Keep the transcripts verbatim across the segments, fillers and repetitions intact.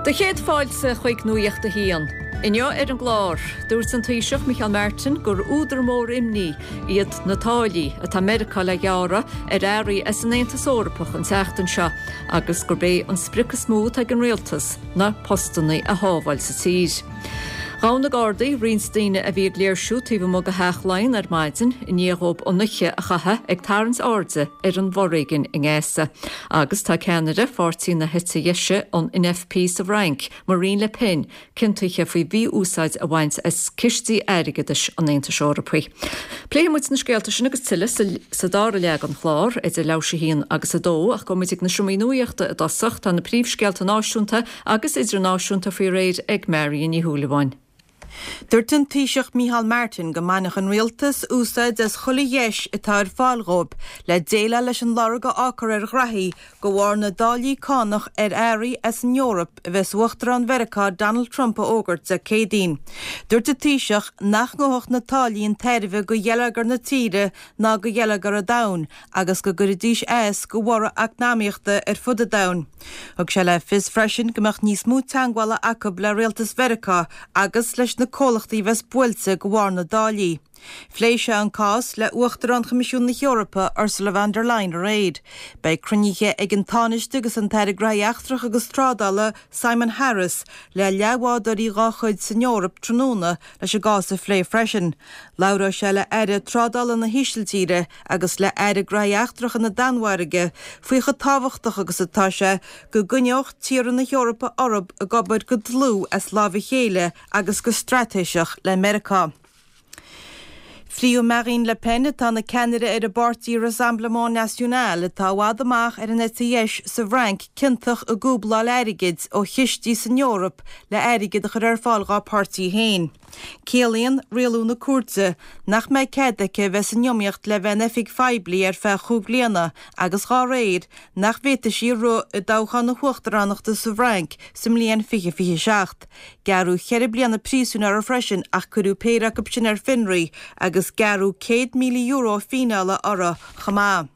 Do chéad fáilte chuig Nuacht a hAon. Inniu ar an gclár, dúirt an Taoiseach Micheál Martin gur údar mór imní iad na táillí atá Meiriceá le gearradh ar earraí as an Aontas Eorpach an tseachtain seo agus gurb é an sprioc is mó ag an rialtas ná postanna a shábháil sa tír. Ghabh na Gardaí roinnt daoine a bhí ag léirsiú taobh amuigh de Theach Laighean ar maidin i ndiaidh dóibh an oíche a chaitheamh ag tarraingt airde ar an bhforéigean i nGaza. Agus tá ceannaire pháirtí na heite deise an N F P sa Fhrainc, Marine Le Pen, ciontaithe faoi mhí-úsáid a bhaint as cistí airgeadais an Aontais Eorpaigh. Pléifidh muid na scéalta sin agus tuilleadh sa dara leath den chlár idir leathuair théis a haon agus a dó, ach gabhfaidh muid ag na seomraí nuachta i dtosach. Tá na príomhscéalta náisiúnta agus idirnáisiúnta faoi réir ag Marion Ní Shúilleabháin. Dúirt an Taoiseach Micheál Martin go mbainfeadh an rialtas úsáid as chuile dheis atá ar fáil dhóibh le déileáil leis an lorg a fhágfar ar ghraithí de bharr na dtáillí cánach ar earraí as an Eoraip a bheas Uachtarán Mheiriceá Donald Trump a fhógairt Dé Céadaoin. Dúirt an Taoiseach nach ngabhfadh na táillí chun tairbhe do gheilleagar na tíre ná do gheilleagar an domhain agus go gcuirfidís as do bhorradh eacnamaíochta ar fud an domhain. Thug sé le fios freisin go mbeadh níos mó teagmhála acu le rialtas Mheiriceá agus leis na comhlachtaí bheas buailte de bharr na dtáillí. Phléigh sé an cás le Uachtarán Choimisiún na hEorpa, Ursula von der Leyen, aréir. Beidh cruinnithe ag an Tánaiste agus an tAire Gnóthaí Eachtracha agus Trádála Simon Harris le leathbhádóirí dá chuid san Eoraip tráthnóna leis an gcás a phlé freisin. Labhróidh sé le Aire Trádála na hÍsiltíre agus le Aire Gnóthaí Eachtracha na Danmhairge faoi chomh tábhachtach agus atá sé go gcoinneodh tíortha na hEorpa orthu ag obair go dlúth as lámh a chéile agus go straitéiseach le Meiriceá. Fríodh Marine Le Pen, atá ina ceannaire ar an bpáirtí Rassemblement National, atá i bhfad amach ar an eite dheis sa Fhrainc, ciontach i gcúbláil airgid ó chistí san Eoraip le airgead a chur ar fáil dá páirtí féin. Ciallaíonn rialú na cúirte nach mbeidh cead aici bheith san iomaíocht le bheith in oifig phoiblí ar feadh cúig bliana agus dá réir nach bhféadfaidh sí rith i dtoghchán na huachtaránachta sa Fhrainc sa mbliain fiche fiche seacht. Gearradh ceithre bliana príosúin uirthi freisin, ach cuireadh péire acu sin ar fionraí, agus gearradh céad míle euro fíneála uirthi chomh maith.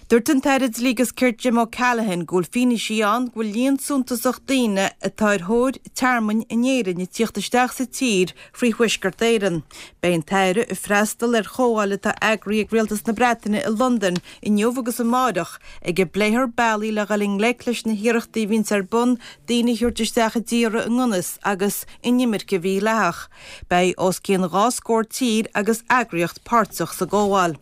Dúirt an tAire Dlí agus Cirt Jim O'Callaghan go bhfuil fianaise ann go bhfuil líon suntasach daoine atá ar thóir tearmainn in Éirinn ag tíocht isteach sa tír frí Thuaisceart Éireann. Beidh an tAire ag freastal ar chomhdháil atá eagraithe ag Rialtas na Breataine i Londain inniu agus amárach, ag a bpléifear bealaí le dhul i ngleic leis na hiarrachtaí a bhíonns ar bun daoine a thabhairt isteach i dtír i ngan fhios agus in imirce mhídhleathach. Beidh os cionn dhá scór tír agus eagraíocht páirteach sa gcomhdháil.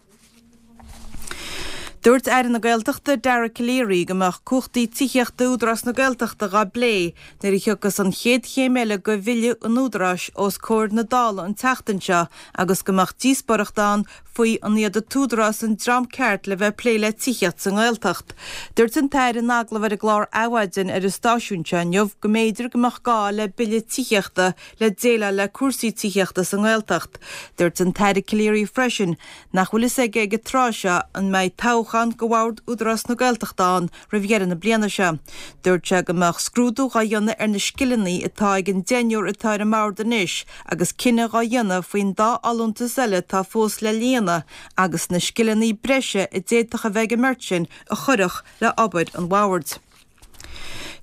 Dúirt Aire na Gaeltachta Dara Calleary go mbeadh cumhachtaí tithíochta Údarás na Gaeltachta á bplé nuair a thiocfas an chéad chéim eile de bhille an Údaráis os comhair na Dála an tseachtain seo, agus go mbeadh díospóireacht ann faoi an iad an tÚdarás an dream ceart le bheith plé le tithíocht sa nGaeltacht. Dúirt an tAire in agallamh ar an gclár Adhmhaidin ar an stáisiún seo inniu go mb'fhéidir go mbeadh gá le bille tithíochta le déileáil le cúrsaí tithíochta sa nGaeltacht. Dúirt an tAire Calleary freisin nach bhfuil fhios aige ag an tráth seo an mbeidh toghchán do bhord Údarás na Gaeltachta ann roimh dheireadh na bliana seo. Dúirt sé go mbeadh scrúdú á dhéanamh ar na scileanna atá ag an deichniúr atá ar an mbord anois agus cinneadh á dhéanamh faoin dá fholúntas eile atá fós le líonadh agus na scileanna breise a d'fhéadfadh a bheith ag an mbeirt sin a chuirfeadh le obair an bhoird.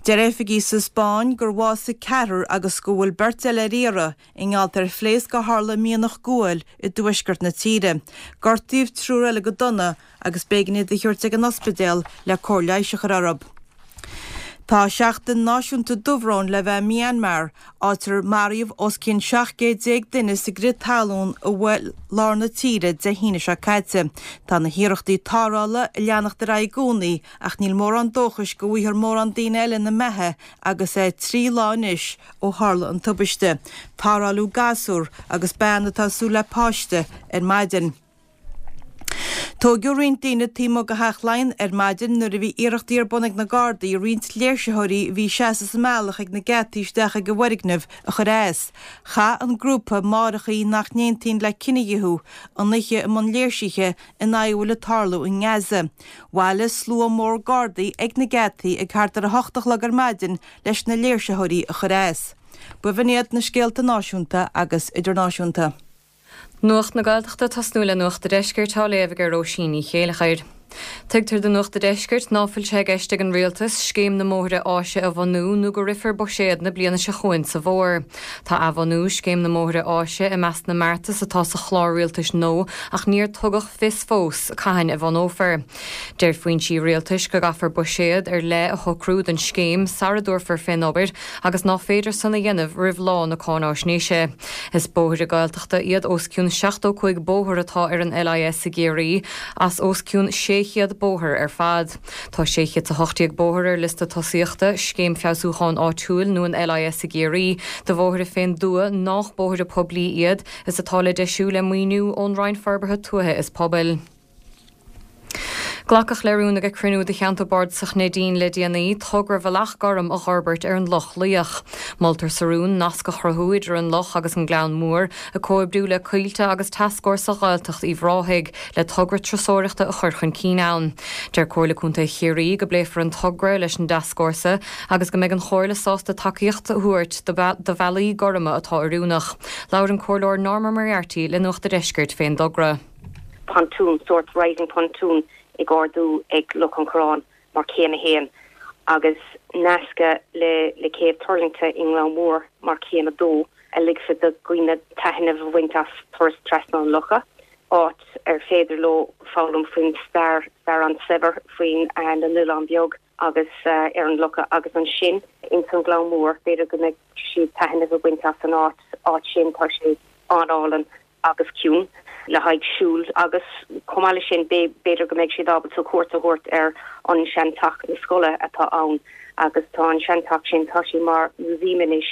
Deir oifigigh sa Spáinn gur bhásaigh ceathrar agus go bhfuil beirt eile ar iarraidh i ngeall ar phléasc a tharla i mianach guail i dtuaisceart na tíre. Gortaíodh triúr eile go dona agus b'éigean iad a thabhairt ag an ospidéal le cóir leighis a chur orthu. Tá seachtain náisiúnta dúbhróin le bheith Myanmar, áit ar maraíodh os cionn seacht gcéad déag duine sa gcrith talún a bhuail lár na tíre Dé hAoine seo caite. Tá na hiarrachtaí tarrthála ag leanacht ar aghaidh i gcónaí, ach níl mórán dóchais go bhfaighfear mórán daoine eile ina mbeatha agus é trí lá anois ó tharla an tubaiste. Tarrtháladh gasúr agus bean atá ag súil le páiste ar maidin. Tóigeadh roinnt daoine taobh amuigh de Theach Laighean ar maidin nuair a bhí iarrachtaí ar bun ag na Gardaí roinnt léirsitheoirí a bhí ag seasamh sa mbealach ag na geataí isteach ag an bhfoirgneamh a chur as. Chaith an grúpa Máithreacha nach nAontaíonn le Cinedhíothú an oíche i mbun léirsithe in aghaidh a bhfuil ag tarlú i nGaza. Bhailigh slua mór Gardaí ag na geataí ag thart ar a hocht a chlog ar maidin leis na léirsitheoirí a chur as. B'in iad na scéalta náisiúnta agus idirnáisiúnta. Nuacht na Gaeltachta, tosnú le Nuacht an Deiscirt á léamh ag Róisín Ní Chéilleachair. Tuigtear do Nuacht an Deiscirt ná fuil sé i gceist ag an rialtas scéim na mbóithre áise a bhunú nó go rithfear buiséad na bliana seo chugainn sa bhfómhar. Tá athbhunú scéim na mbóithre áise i measc na mbeartas atá sa chlár rialtais nua ach níor tugadh fios fós cathain a bhunófar. Deir foinsí rialtais go gcaithfear buiséad ar leith a shocrú don scéim sara dtabharfar fén obair agus ná féidir san a dhéanamh roimh lá na cáináisnéise. Is bóithre Gaeltachta iad os cionn seachtó cúig bóthar atá ar an L I S i gCiarraí as os cionn sé chéad bóthar ar fad. Tá sé chéad a hocht déag bóthar ar liosta tosaíochta Scéim Feabhsúcháin Áitiúil nó an L I S i gCiarraí de bhóithre fén dtuath nach bóithre poiblí iad is atá le deisiú le maoiniú ón Roinn Forbartha Tuaithe is Pobail. Glacadh le rún ag cruinniú de Cheantar Bardasach Neidín le déanaí togra Bhealach Gorm a fhorbairt ar an Loch Laoich. Moltar sa rún nasc a chruthú idir an loch agus an Gleann Mór, ag comhoibriú le Coillte agus Tascfhórsa Ghaeltacht Uíbh Ráthaigh le togra turasóireachta a chur chun cinn ann. Deir Comhairle Contae Chiarraí go bpléifear an togra leis an dtascfhórsa agus go mbeidh an chomhairle sásta tacaíocht a thabhairt do bhealaí gorma atá oiriúnach. Labhair an Comhairleoir Norma Moriarty le Nuacht an Deiscirt fén dtogra. Pontoon, sort rising pontoon ag ardú ag Loch an Chorráin mar céim a haon agus nascadh le le céibh tuirlingte i nGleann Mór mar céim a dó a ligfeadh do dhaoine taitneamh a bhaint as turas trasna an locha, áit ar féidir leo foghlaim faoin stair stair an-saibhir faoin uh, na n-oileán beag agus uh, ar an locha agus ansin in san Gleann Mór b'fhéidir go mbeidh siad taitneamh a bhaint as an áit áit sin. Tá sé an-álainn agus ciúin le haghaidh siúl agus chomh maith sin b'fhéidir go mbeidh siad ábalta cuairt a thabhairt ar an seanteach na scoile atá ann agus tá an seanteach sin, tá sé mar museum anois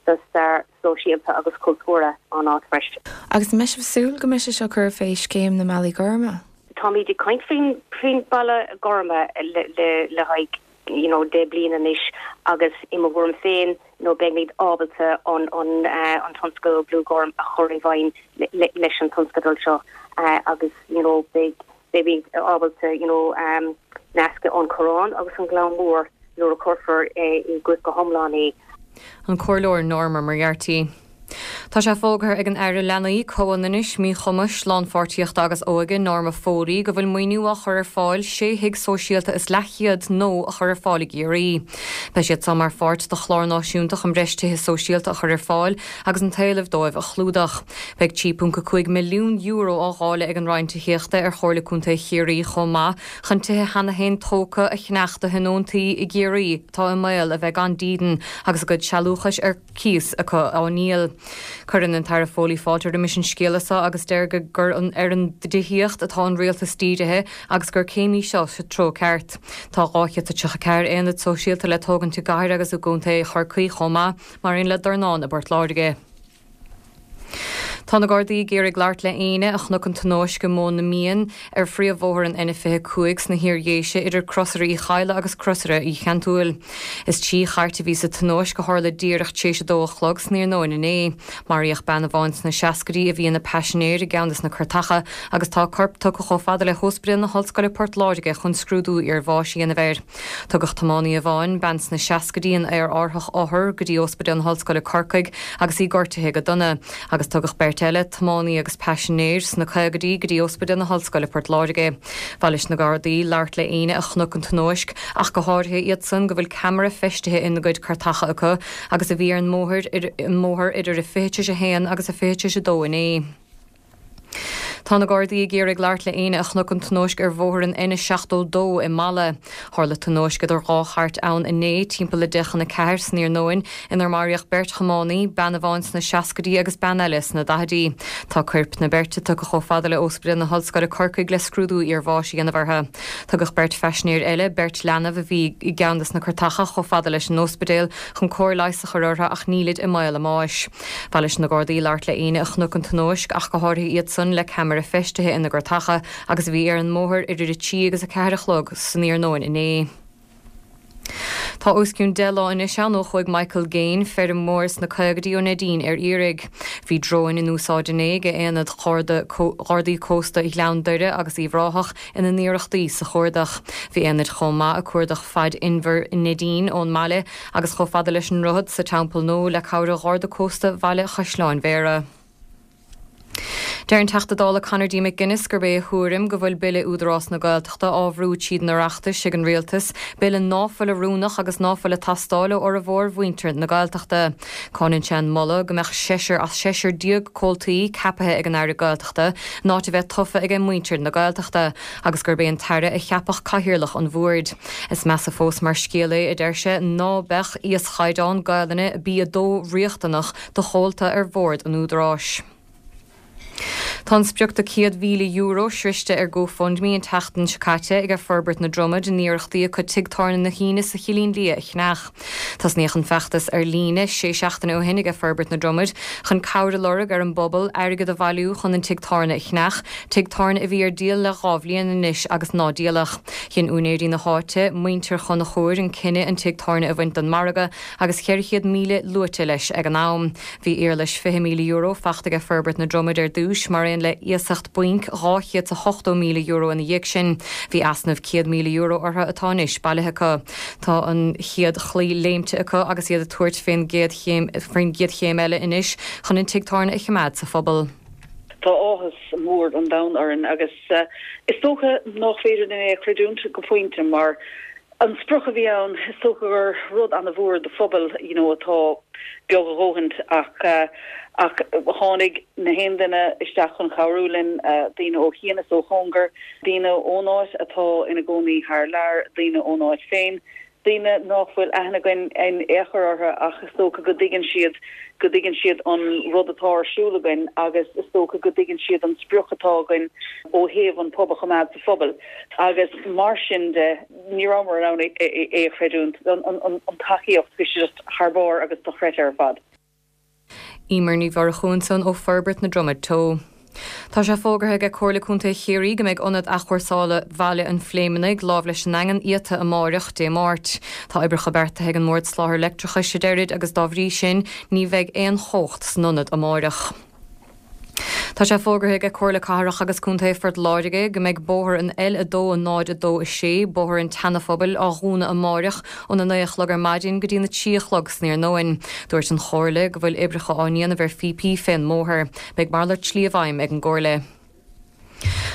do stair sóisialta agus cultúrtha an áit freisin. Agus mbeidh sibh ag súil go mbeidh sé seo curtha fé scéim na mbealaí gorma? Táimid ag caint faoin faoin bealach gorma le le le haghaidh you know deich bliana anois agus i mo thuairim féin nó beimid ábalta an an uh, an tionscadal Blue Gorm a chur i bhfeidhm leis an tionscadal seo uh, agus you know beidh beimid ábalta you know um, nascadh an Corrán agus an Gleann Mór nuair a chuirfear i gcrích go hiomlán é. An Comhairleoir Norma Moriarty. Tá sé fógartha ag an Aire Leanaí, Comhionannais, Míchumais, Lánpháirtíochta agus Óige Norma Foley go bhfuil maoiniú á chur ar fáil sé thigh sóisialta is leathchéad nua a chur ar fáil i gCiarraí. Beidh siad seo mar pháirt de chlár náisiúnta chun breis tithe sóisialta a chur ar fáil agus an t-éileamh dóibh a chlúdach. Beidh trí ponc cúig milliún euro á dháileadh ag an Roinn Tithíochta ar Chomhairle Contae Chiarraí chomh maith chun tithe cheana féin tógtha a cheannach do thionóntaí i gCiarraí atá i mbaol a bheith gan dídean agus a gcuid sealúchais ar cíos acu á ndíol. Cuireann an tAire Foley fáilte roimis an scéala seo agus deir go gur an ar an dtithíocht atá an rialtas dírithe agus gur céim í seo sa treo ceart. Tá dhá chéad tríocha ceathair aonad sóisialta le tógaint i gcathair agus i gContae Chorcaí chomh maith, mar aon le dornán i bPort Láirge. Tá na Gardaí ag iarraidh labhairt le éinne a chonaic an tionóisc i Móin na Mian ar phríomhbhóthar an N fiche cúig sna hIardhéise idir Crosaire Uí Chadhla agus Crosaire Uí Cheantúil. Is trí chairt a bhí sa tionóisc a tharla díreach tar éis a dó a chlog san iarnóin inné. Maraíodh bean amháin sna seascaidí a bhí ina paisinéir i gceann de na cairteacha agus tá corp tugtha chomh fada le hOspidéal na hOllscoile Port Láirge chun scrúdú iarbháis a dhéanamh air. Tugadh tiománaí amháin, bean sna seascaidí, in aerárthach othar go dtí Ospidéal na hOllscoile Corcaigh agus í gortaithe go dona, agus tugadh beirt eile, tiománaí agus paisinéir sna caogaidí, go dtí Ospidéal na hOllscoile Port Láirge. Ba mhaith leis na Gardaí labhairt le éinne a chonaic an tionóisc ach go háirithe iad san go bhfuil ceamara feistithe ina gcuid cairteacha acu agus a bhí ar an mbóthar an mbóthar idir a fiche a haon agus a fiche a dó inné. Tá na Gardaí ag iarraidh labhairt le éinne a chonaic an tionóisc ar bhóthar an N seachtó dó i Mala. Tharla tionóisc idir dhá chairt ann inné timpeall le deich chun a ceathair san iarnóin inar maraíodh beirt thiománaí, bean amháin sna seascaidí agus bean eile sna daichidí. Tá coirp na beirte tugtha chomh fada le Ospidéal na hOllscoile Corcaigh le scrúdú iarbháis a dhéanamh orthu. Tugadh beirt phaisinéir eile, beirt leanbh a bhí i gceann de na cairteacha, chomh fada leis an ospidéal chun cóir leighis a chur orthu ach nílid i mbaol a mbáis. Ba mhaith leis na Gardaí labhairt le éinne a chonaic an tionóisc ach go háirithe iad san le ceamara feistithe ina gcairteacha agus a bhí ar an mbóthar idir a trí agus a ceathair a chlog san iarnóin inné. Tá os cionn deich lá anois ann ó chuaigh Michael Gain, feirmeoir sna caogaidí ó Neidín, ar iarraidh. Bhí dróin in úsáid inné ag aonad Ghardaí Cósta Ghleann Doire agus Uíbh Ráthach ina n-iarrachtaí sa chuardach. Bhí aonaid chomh maith ag cuardach fad inbhear Neidín ón mbaile agus chomh fada leis an droichead sa Teampall Nua le cabhair Gharda Cósta Bhaile Chaisleáin Bhéarra. Deir an Teachta Dála Conor D. McGuinness gurb é a thuairim go bhfuil Bille Údarás na Gaeltachta á bhrú tríd an Oireachtas ag an Rialtas, bille ná fuil oiriúnach agus ná fuil ag teastáil ó fhormhór mhuintir na Gaeltachta. Cáineann sé an moladh go mbeadh seisear as seisear déag comhaltaí ceaptha ag an Aire Gaeltachta in áit a bheith tofa ag muintir na Gaeltachta, agus gurb é an tAire a cheapfadh cathaoirleach an bhoird. Is measa fós mar scéal é, a deir sé, ná beadh íoschaighdeán Gaelainne B a dó riachtanach do chomhalta ar bhord an Údaráis. Tá an sprioc de céad mhíle euro sroichte ar GoFundMe an tseachtain seo caite ag Forbairt na Dromad in iarrachtaí acu tigh tábhairne na hAoine sa Chillín Liath a cheannach. Tosnaíodh an feachtas ar líne sé seachtaine ó shin ag Forbairt na Dromad chun cabhair a lorg ar an bpobal airgead a bhailiú chun an tigh tábhairne a cheannach, tigh tábhairne a bhí ar díol le dhá bhliain anois agus ná díoladh. Chinn úinéirí na háite, muintir Chonchúir, an cinneadh an tigh tábhairne a bhaint den mhargadh agus ceithre chéad míle luaite leis ag an am. Bhí éarlais fiche míle euro faighte ag Forbairt na Dromad ar dtús mar aon le iasacht bainc dhá chéad is a hochtó míle euro ina dhiaidh sin. Bhí easnamh céad míle euro orthu atá anois bailithe acu. Tá an chéad chlaí léimte acu agus iad ag tabhairt faoin gcéad chéim faoin gcéad chéim eile anois chun an tigh tábhairne a choimeád sa phobal. Tá áthas mór an domhain orainn agus is dócha nach féidir linn é a chreidiúint go pointe mar an sprioc a bhí ann is dócha gur rud an-mhór do phobal you know atá beag a dhóthain ach ach tháinig na haon duine isteach chun cabhrú linn daoine ó chian is ó chóngar, daoine ón áit atá ina gcónaí thar lear, daoine ón áit féin, daoine nach bhfuil aithne againn in aon chor orthu ach is dócha go dtuigeann siad go dtuigeann siad an rud atá ar siúl againn agus is dócha go dtuigeann siad an sprioc atá againn ó thaobh an pub a choimeád sa phobal agus mar sin de ní rabhamar in ann é a chreidiúint an tacaíocht bhí sé just thar barr agus dochreidte ar fad. Emer Ní Mhurchú ansan ó Forbairt na Dromad Teo. Tá sé fógartha ag Comhairle Contae Chiarraí go mbeidh ionad athchúrsála Bhaile an Phléimeannaigh lámh leis an nDaingean iata amáireach Dé Máirt. Tá oibreacha beartaithe ag an mBord Soláthair Leictreachais a deirid agus dá bhrí sin ní bheidh aon chumhacht san ionad amáireach. Tá sé fógartha ag Comhairle Cathrach agus Contae Phort Láirge go mbeidh bóthar an L a dó náid a dó a sé, bóthar an tSeana-Phobail, á dhúnadh amáireach óna naoi a chlog ar maidin go dtí na trí a chlog san iarnóin. Dúirt an Chomhairle go bhfuil oibreacha á ndéanamh ar phíopaí fén mbóthar. Beidh malairt slí i bhfeidhm ag an gComhairle.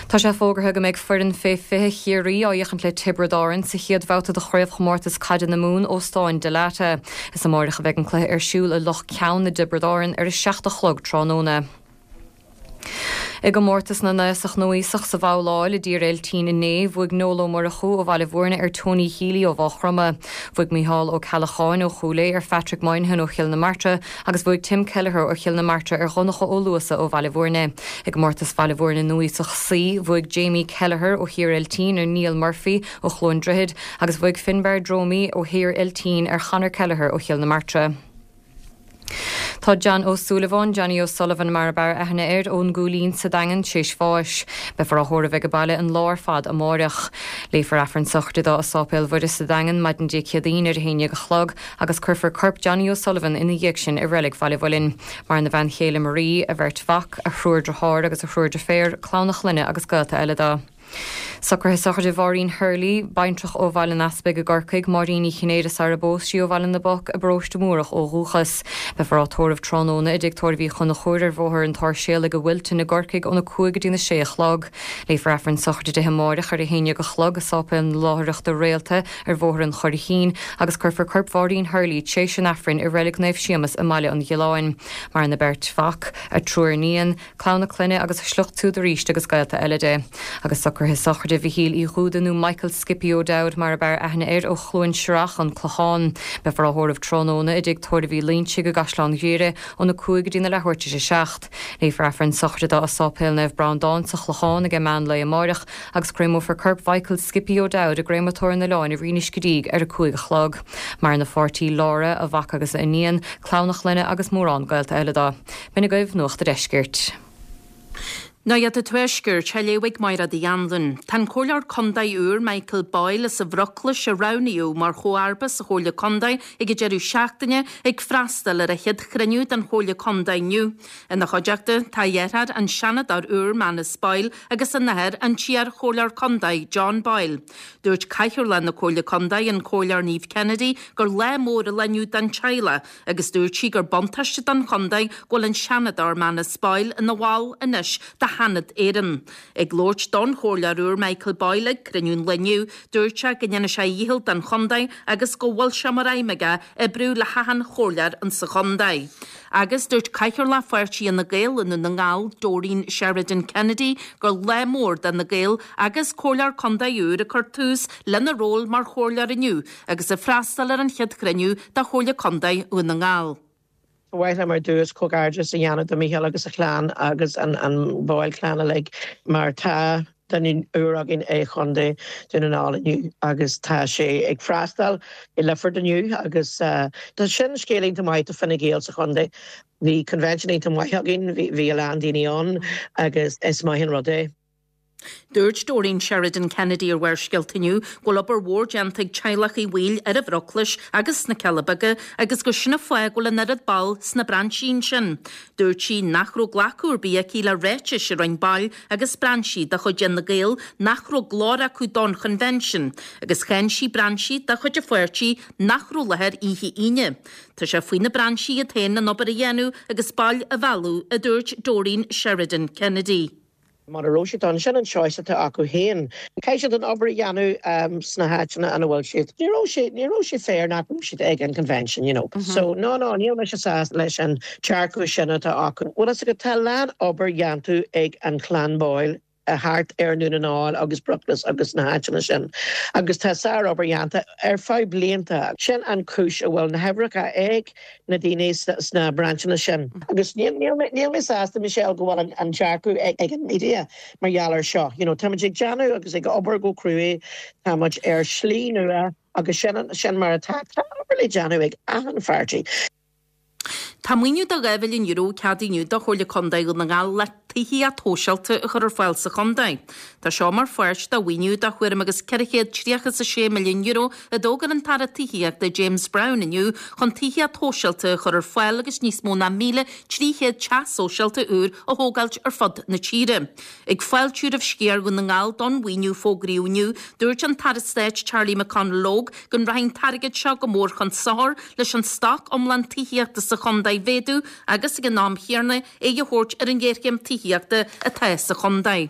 Tá sé fógartha go mbeidh foireann fé fiche Chiarraí á fhéachaint le Tiobraid Árann sa chéad bhabhta de chraobhchomórtas caide na Mumhan Óstáin Dalata. Is amáireach a bheidh an cluiche ar siúl i Loch Ceann i dTiobraid Árann ar a seacht a chlog tráthnóna. I gcomórtas na n-aosach núíosach sa bhabhláil i dTír Eiltín inné, bhuaigh Noel Ó Murchú ó Bhaile Bhúirne ar Tony Healy ó Mhaigh Chromtha. Bhuaigh Micheál Ó Ceallacháin ó Chúil Aodha ar Phatrick Moynihan ó Chill na Martra agus bhuaigh Tim Kelleher ó Chill na Martra ar Dhonncha Ó Luasa ó Bhaile Bhúirne. I gcomórtas Bhaile Bhúirne núíosach C, bhuaigh Jamie Kelleher ó Thír Eiltín ar Neil Murphy ó Chluain Droichead agus bhuaigh Finbar Dromey ó Thír Eiltín ar Chonor Kelleher ó Chill na Martra. Tá John Ó Súilleabháin, Johnny O'Sullivan mar ab fhearr aithne air, ón gCúilín sa Daingean tréis bháis. Beifear á thórramh ag baile an lá ar fad amáireach. Léifear Aifreann sochraide dó i Sáipéal Mhuire sa Daingean maidin Dé Céadaoin ar a haon déag a chlog agus cuirfear corp Johnny O'Sullivan ina dhiaidh sin i reilig Bhaile Mhuilinn. Maireann a bhean chéile Marie, a bheirt mhac, a thriúr deartháir agus a thriúr deirféar, clann a chlainne agus gaolta eile dó. Socruithe sochraide Mháirín Hurley, baintreach ó Bhaile an Easpaig i gCorcaigh, Máirín Ní Chinnéide sar a bpós sí ó Bhaile na bPoc i bparóiste Múrach ó dhúchas. Beifear á tórramh tráthnóna i dtigh tórraimh Uí Chonchúir ar Bhóthar an tSáirséalaigh i Wilton i gCorcaigh óna cúig go dtí na sé a chlog. Léifear Aifreann sochraide di amáireach ar a haon déag a chlog i Sáipéal na Láithreachta Réalta ar Bhóthar an Churraichín agus cuirfear corp Mháirín Hurley tréis an Aifrinn i Reilig Naomh Séamus i mBaile an Ghiolláin. Maireann a beirt mhac, a triúr iníon, clann a clainne agus a sliocht siúd arís agus gaolta eile di. Agus socruithe sochraide Mhichíl Uí Dhúda nó Michael Skippy O'Dowd mar ab fhearr aithne air ó Chluain Srach, an Clochán. Beifear á thórramh tráthnóna i dtigh tórraimh Uí Loinsigh i gCaisleán Ghriaire óna cúig go dtí na leathuair tar éis a seacht. Léifear Aifreann sochraide dó i Sáipéal Naomh Breandán sa Chlochán ag meán lae amáireach agus créamófar corp Mhichael Skippy O'Dowd i gcréamatóir an oileáin i Rinn Uisce Díg ar a cúig a chlog. Maireann a pháirtí Laura, a mhac agus a iníon, clann a chlainne agus mórán gaolta eile dó. B'in agaibh Nuacht an Deiscirt. Nuacht an Tuaiscirt, á léamh ag Máire Uí Anluain. Tá an Comhairleoir Contae úr Michael Boyle as an Bhruclais a roghnaíodh mar chomharba sa Chomhairle Contae ag an deireadh seachtaine ag freastal ar a chéad chruinniú den Chomhairle Contae inniu. Ina chuideachta tá a dheartháir an Seanadóir úr Manus Boyle agus a athair an t-iar-Chomhairleoir Contae John Boyle. Dúirt Cathaoirleach na Comhairle Contae an Comhairleoir Niamh Kennedy gur lá mór an lá inniu don teaghlach agus dúirt sí gur buntáiste don chontae go bhfuil an Seanadóir Manus Boyle ina bhall anois de Sheanad Éireann. Ag labhairt don Chomhairleoir úr Michael Boyle ag cruinniú an lae inniu, dúirt sé go ndéanfaidh sé a dhícheall don chontae agus go bhfuil sé mar aidhm aige oibriú le hachan chomhairleoir insa chontae. Agus dúirt Cathaoirleach Pháirtí Fhine Gael i nDún na nGall, Doreen Sheridan Kennedy, gur lá mór do Fhine Gael agus Comhairleoir Contae úr ag cur tús lena ról mar chomhairleoir inniu agus ag freastal ar an chéad chruinniú de Chomhairle Contae Dhún na nGall. Ba mhaith liom ar dtús comhghairdeas a dhéanamh do Micheál agus a chlann agus an an Boyle clan uilig mar tá duine úr againn i Chontae Dhún na nGall inniu agus tá sé ag freastal i Lifford inniu agus uh, tá sin scéal iontach maith do Fine Gael sa chontae. Bhí convention iontach maith againn, bhí a lán daoine ann agus is maith an rud é. Dúirt Doreen Sheridan Kennedy ar Bharrscéalta inniu go bhfuil obair mhór déanta ag teaghlach Uí Bhaoill ar an Bhruclais agus sna Cealla Beaga agus gur sin an fáth go bhfuil an oiread ball sna brainsí sin. Dúirt sí nach raibh glacadh ar bith aici le ráitis a rinne baill agus brainsí de chuid Fhine Gael nach raibh glór acu don convention, agus cháin sí brainsí de chuid an pháirtí nach raibh i láthair oíche Aoine. Tá sé faoi na brainsí iad féin an obair a dhéanamh agus baill a mhealladh, a dúirt Doreen Sheridan Kennedy. Mura raibh siad ann sin an choice atá acu féin. Caithfidh siad an obair a dhéanamh um, sna háiteanna ina bhfuil siad. Ní raibh sé ní raibh sé fair nach raibh siad ag an convention, you know. Mm -hmm. So no no níl mise sásta leis an dearcadh sin atá acu. Well is go tá lán obair déanta ag an clan Boyle thart ar Dhún na nGall agus Bruclas agus na háiteanna sin. Agus tá sárobair déanta ar feadh blianta. Sin an chúis a bhfuil na huimhreacha ag na daoine sna brainseanna sin. Agus níl mé sásta Michelle go bhfuil an dearcadh ag ag an media mar gheall air seo. You know, Táimid ag déanamh agus ag obair go cruaidh táimid ar slí nua agus sin sin mar atá obair le déanamh ag achan pháirtí. Tá maoiniú de dhá mhilliún euro ceadaithe inniu do Chomhairle Contae Dhún na nGall le tithíocht shóisialta a chur ar fáil sa chontae. Tá seo mar pháirt de mhaoiniú de thuairim agus ceithre chéad tríocha a sé milliún euro a d'fhógair an tAire Tithíochta James Browne inniu chun tithíocht shóisialta a chur ar fáil agus níos mó ná míle trí chéad teach sóisialta úr a thógáilt ar fud na tíre. Ag fáiltiú roimh sciar Dhún na nGall don mhaoiniú fógraíodh inniu, dúirt an tAire Stáit Charlie McConalogue go rachaidh an t-airgead seo go mór chun sochair leis an stoc iomlán tithíochta sa chontae a mhéadú agus ag an am céanna é a thabhairt ar an ghéarchéim tithíochta atá sa chontae.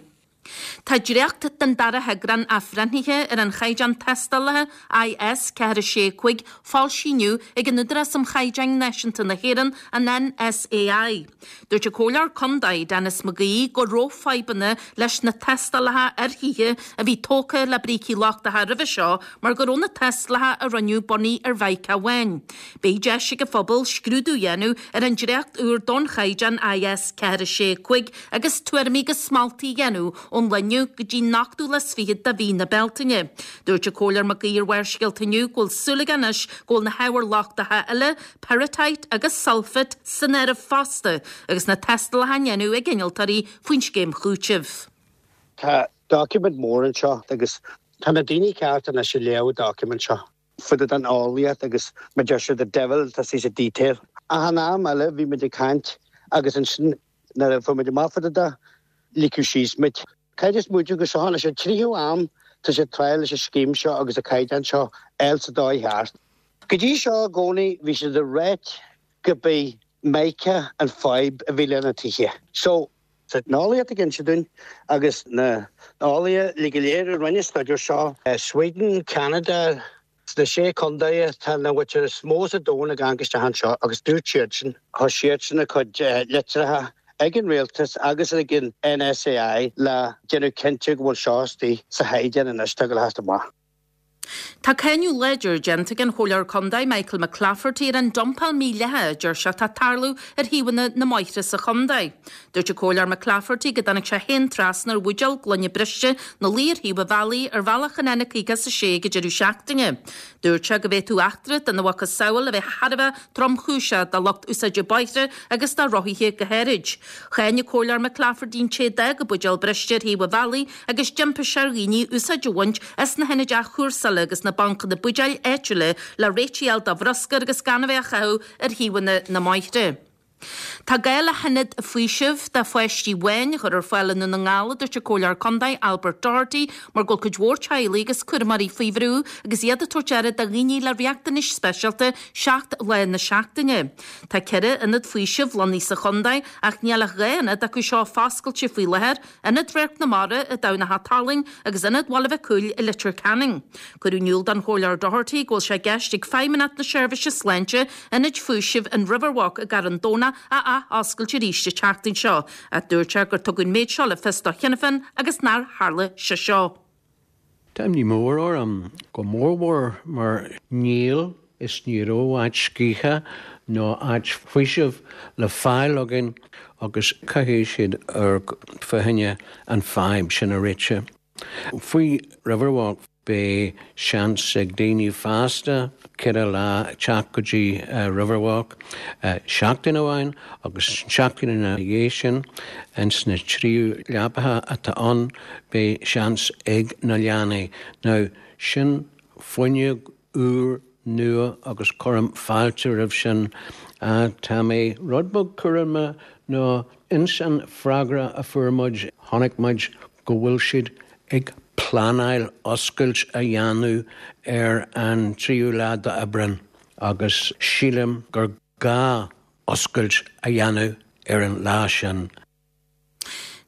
Tá dréacht den dara heagrán athbhreithnithe ar an chaighdeán tástálacha IS ceathair sé cúig foilsithe inniu ag an Údarás um Chaighdeáin Náisiúnta na hÉireann an NSAI. Dúirt an Comhairleoir Contae Denis McGee go raibh fadhbanna leis na tástálacha ar thithe a bhí tógtha le brící lochtacha roimhe seo mar go raibh na tástálacha a rinneadh bunaithe ar mhíoca amháin. Beidh deis ag an phobal scrúdú a dhéanamh ar an dréacht úr don chaighdeán IS ceathair sé cúig agus tuairimí agus moltaí a dhéanamh ón lá inniu go dtí an ochtú lá is fiche de mhí na Bealtaine. Dúirt an Comhairleoir McGee ar Bharrscéalta inniu go bhfuil súil aige anois go bhfuil na hábhair lochtacha eile, pyrrhotite agus sulfate san áireamh fosta, agus na tástálacha á ndéanamh ag innealtóirí faoin scéim chúitimh. Tá document mór anseo agus tá na daoine ceart anois ag léamh document seo. Fud an eolaíocht agus mar deir siad the devil tá sa detail. Achan am eile bhí muid ag caint agus ansin nuair a fuair muid amach fud de ligeadh síos muid. Caithfidh muid go seo leis an tríú am tá sé triail leis an scéim seo agus an caighdeán seo eil sa dóigh cheart. Go dtí seo i gcónaí bhí siad ag ráit go b'é mica an fadhb a bhí lena tithe. So sa eolaíocht ag inse dúinn agus na eolaithe le go léir a rinne staidéar seo Sweden, Canada, sna sé chontae tá na bhfuil is mó sa domhan ag amharc isteach anseo agus dúirt siad sin tá siad sin a cuid litreacha ag an rialtas agus ag an NSAI le déanamh cinnte go bhfuil seo istigh sa chaighdeán anois tá go least amach. Tá cáineadh láidir déanta ag an Chomhairleoir Contae Michael McClafferty ar an dumpáil mhídhleathach a deir sé atá ag tarlú ar thaobhanna na mbóithre sa chontae. Dúirt an Comhairleoir McClafferty go dtáinig sé féin trasna ar bhuidéal gloine briste 'na luí ar thaobh an bhealaigh ar bhealach an N caoga is a sé ag an deireadh seachtaine. Dúirt sé go bhféadfadh eachtra dena mhacasamhail a bheith thar a bheith tromchúiseach do lucht úsáide bóithre agus do rothaithe go háirid. Cháin an Comhairleoir McClafferty an té a d'fhág an buidéal briste ar thaobh an bhealaigh agus d'impigh sé ar dhaoine úsáid a bhaint as na hionaid athchúrsála agus na bancanna buidéil áitiúla le réiteach a fháil do bhruscar agus gan a bheith á chaitheamh ar thaobhanna na mbóithre. Tá gá le hionad faoisimh do pháistí amháin a chur ar fáil i nDún na nGall, a dúirt an Comhairleoir Contae Albert Doherty, mar go bhfuil cuid mhór teaghlaigh agus cúramóirí faoi bhrú agus iad ag tabhairt aire do dhaoine le riachtanais speisialta seacht lá na seachtaine. Tá ceithre ionad faoisimh lonnaithe sa chontae ach níl ach dhá ionad acu seo foscailte faoi láthair, Ionad Radharc na Mara i dTamhnach an Talainn agus Ionad Bhaile Mhic Cumhaill i Leitir Ceanainn. Cuireadh in iúl don Chomhairleoir Doherty go bhfuil sé i gceist ag Feidhmeannacht na Seirbhíse Sláinte ionad faoisimh an Riverwalk i gCarn Domhnach a athoscailt arís an tseachtain seo, ach dúirt sé gur tugadh an méid seo le fios do Shinn Féin agus nár tharla sé seo. Tá imní mór orm, go mórmhór mar níl is ní raibh áit scíthe nó áit faoisimh le fáil againn agus caithfidh siad amharc fá choinne an fadhb sin a réiteach. Faoi Riverwalk beidh seans ag daoine fásta ceithre lá teacht go dtí Riverwalk seachtain amháin agus seachtain ina dhiaidh sin ins na trí leapacha atá ann beidh seans ag na leanaí. Now sin fuinneog úr nua agus cuirim fáilte roimh sin. Tá mé rud beag cúramach nó ins an freagra a fuair muid chonaic muid go bhfuil siad ag pleanáil oscailt a dhéanamh ar an tríú lá d'Aibreán agus sílim gur gá oscailt a dhéanamh ar an lá sin.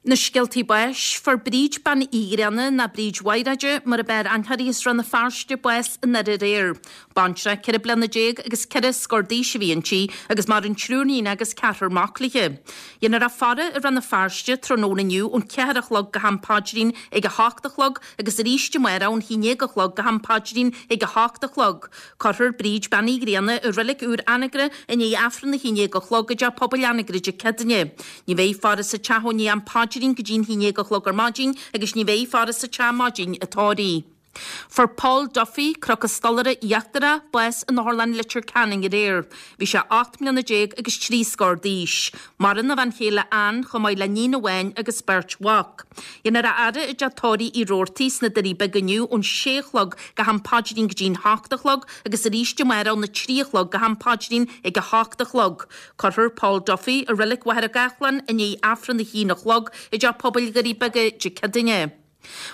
Na scéaltaí báis, Fuair Bríd Bean Uí Ghrianna ná Bríd Mhaighréide mar ab fhearr aithne uirthi as Rann na Feirste bás in aréir. Baintreach ceithre bliana déag agus ceithre scór d'aois a bhí inti agus maireann triúr níon agus ceathrar mac léi. Dhéanfar a faire i Rann na Feirste tráthnóna inniu ón ceathair a chlog go ham paidrín ag a hocht a chlog agus arís amárach ón haon déag a chlog go ham paidrín ag a hocht a chlog. Cuirfear Bríd Bean Uí Ghrianna i reilig úr Anagaire i ndiaidh Aifreann a haon déag a chlog i dTeach Pobail Anagaire Dé Céadaoine. Ní bheidh faire sa teach ó ndiaidh am paidrín go dtí'n haon déag a chlog ar maidin agus ní bheidh faire sa teach maidin an tórraimh. Fuair Paul Duffy, Cnoc an Stolaire Íochtarach, bás in Otharlann Leitir Ceanainn aréir. Bhí sé ocht mbliana déag agus trí scór d'aois. Maireann a bhean chéile Ann chomh maith le níon amháin agus beirt mhac. Dhéanfar a fhaire i dteach tórraimh Uí Robhartaigh sna Doirí Beaga inniu ón sé a chlog go ham paidrín go dtí'n hocht a chlog agus arís amárach óna trí a chlog go ham paidrín ag a hocht a chlog. Cuirfear Paul Duffy i Reilig Mhachaire Gathlán i ndiaidh Aifreann a haon a chlog i dTeach Pobail Dhoirí Beaga Dé Céadaoine.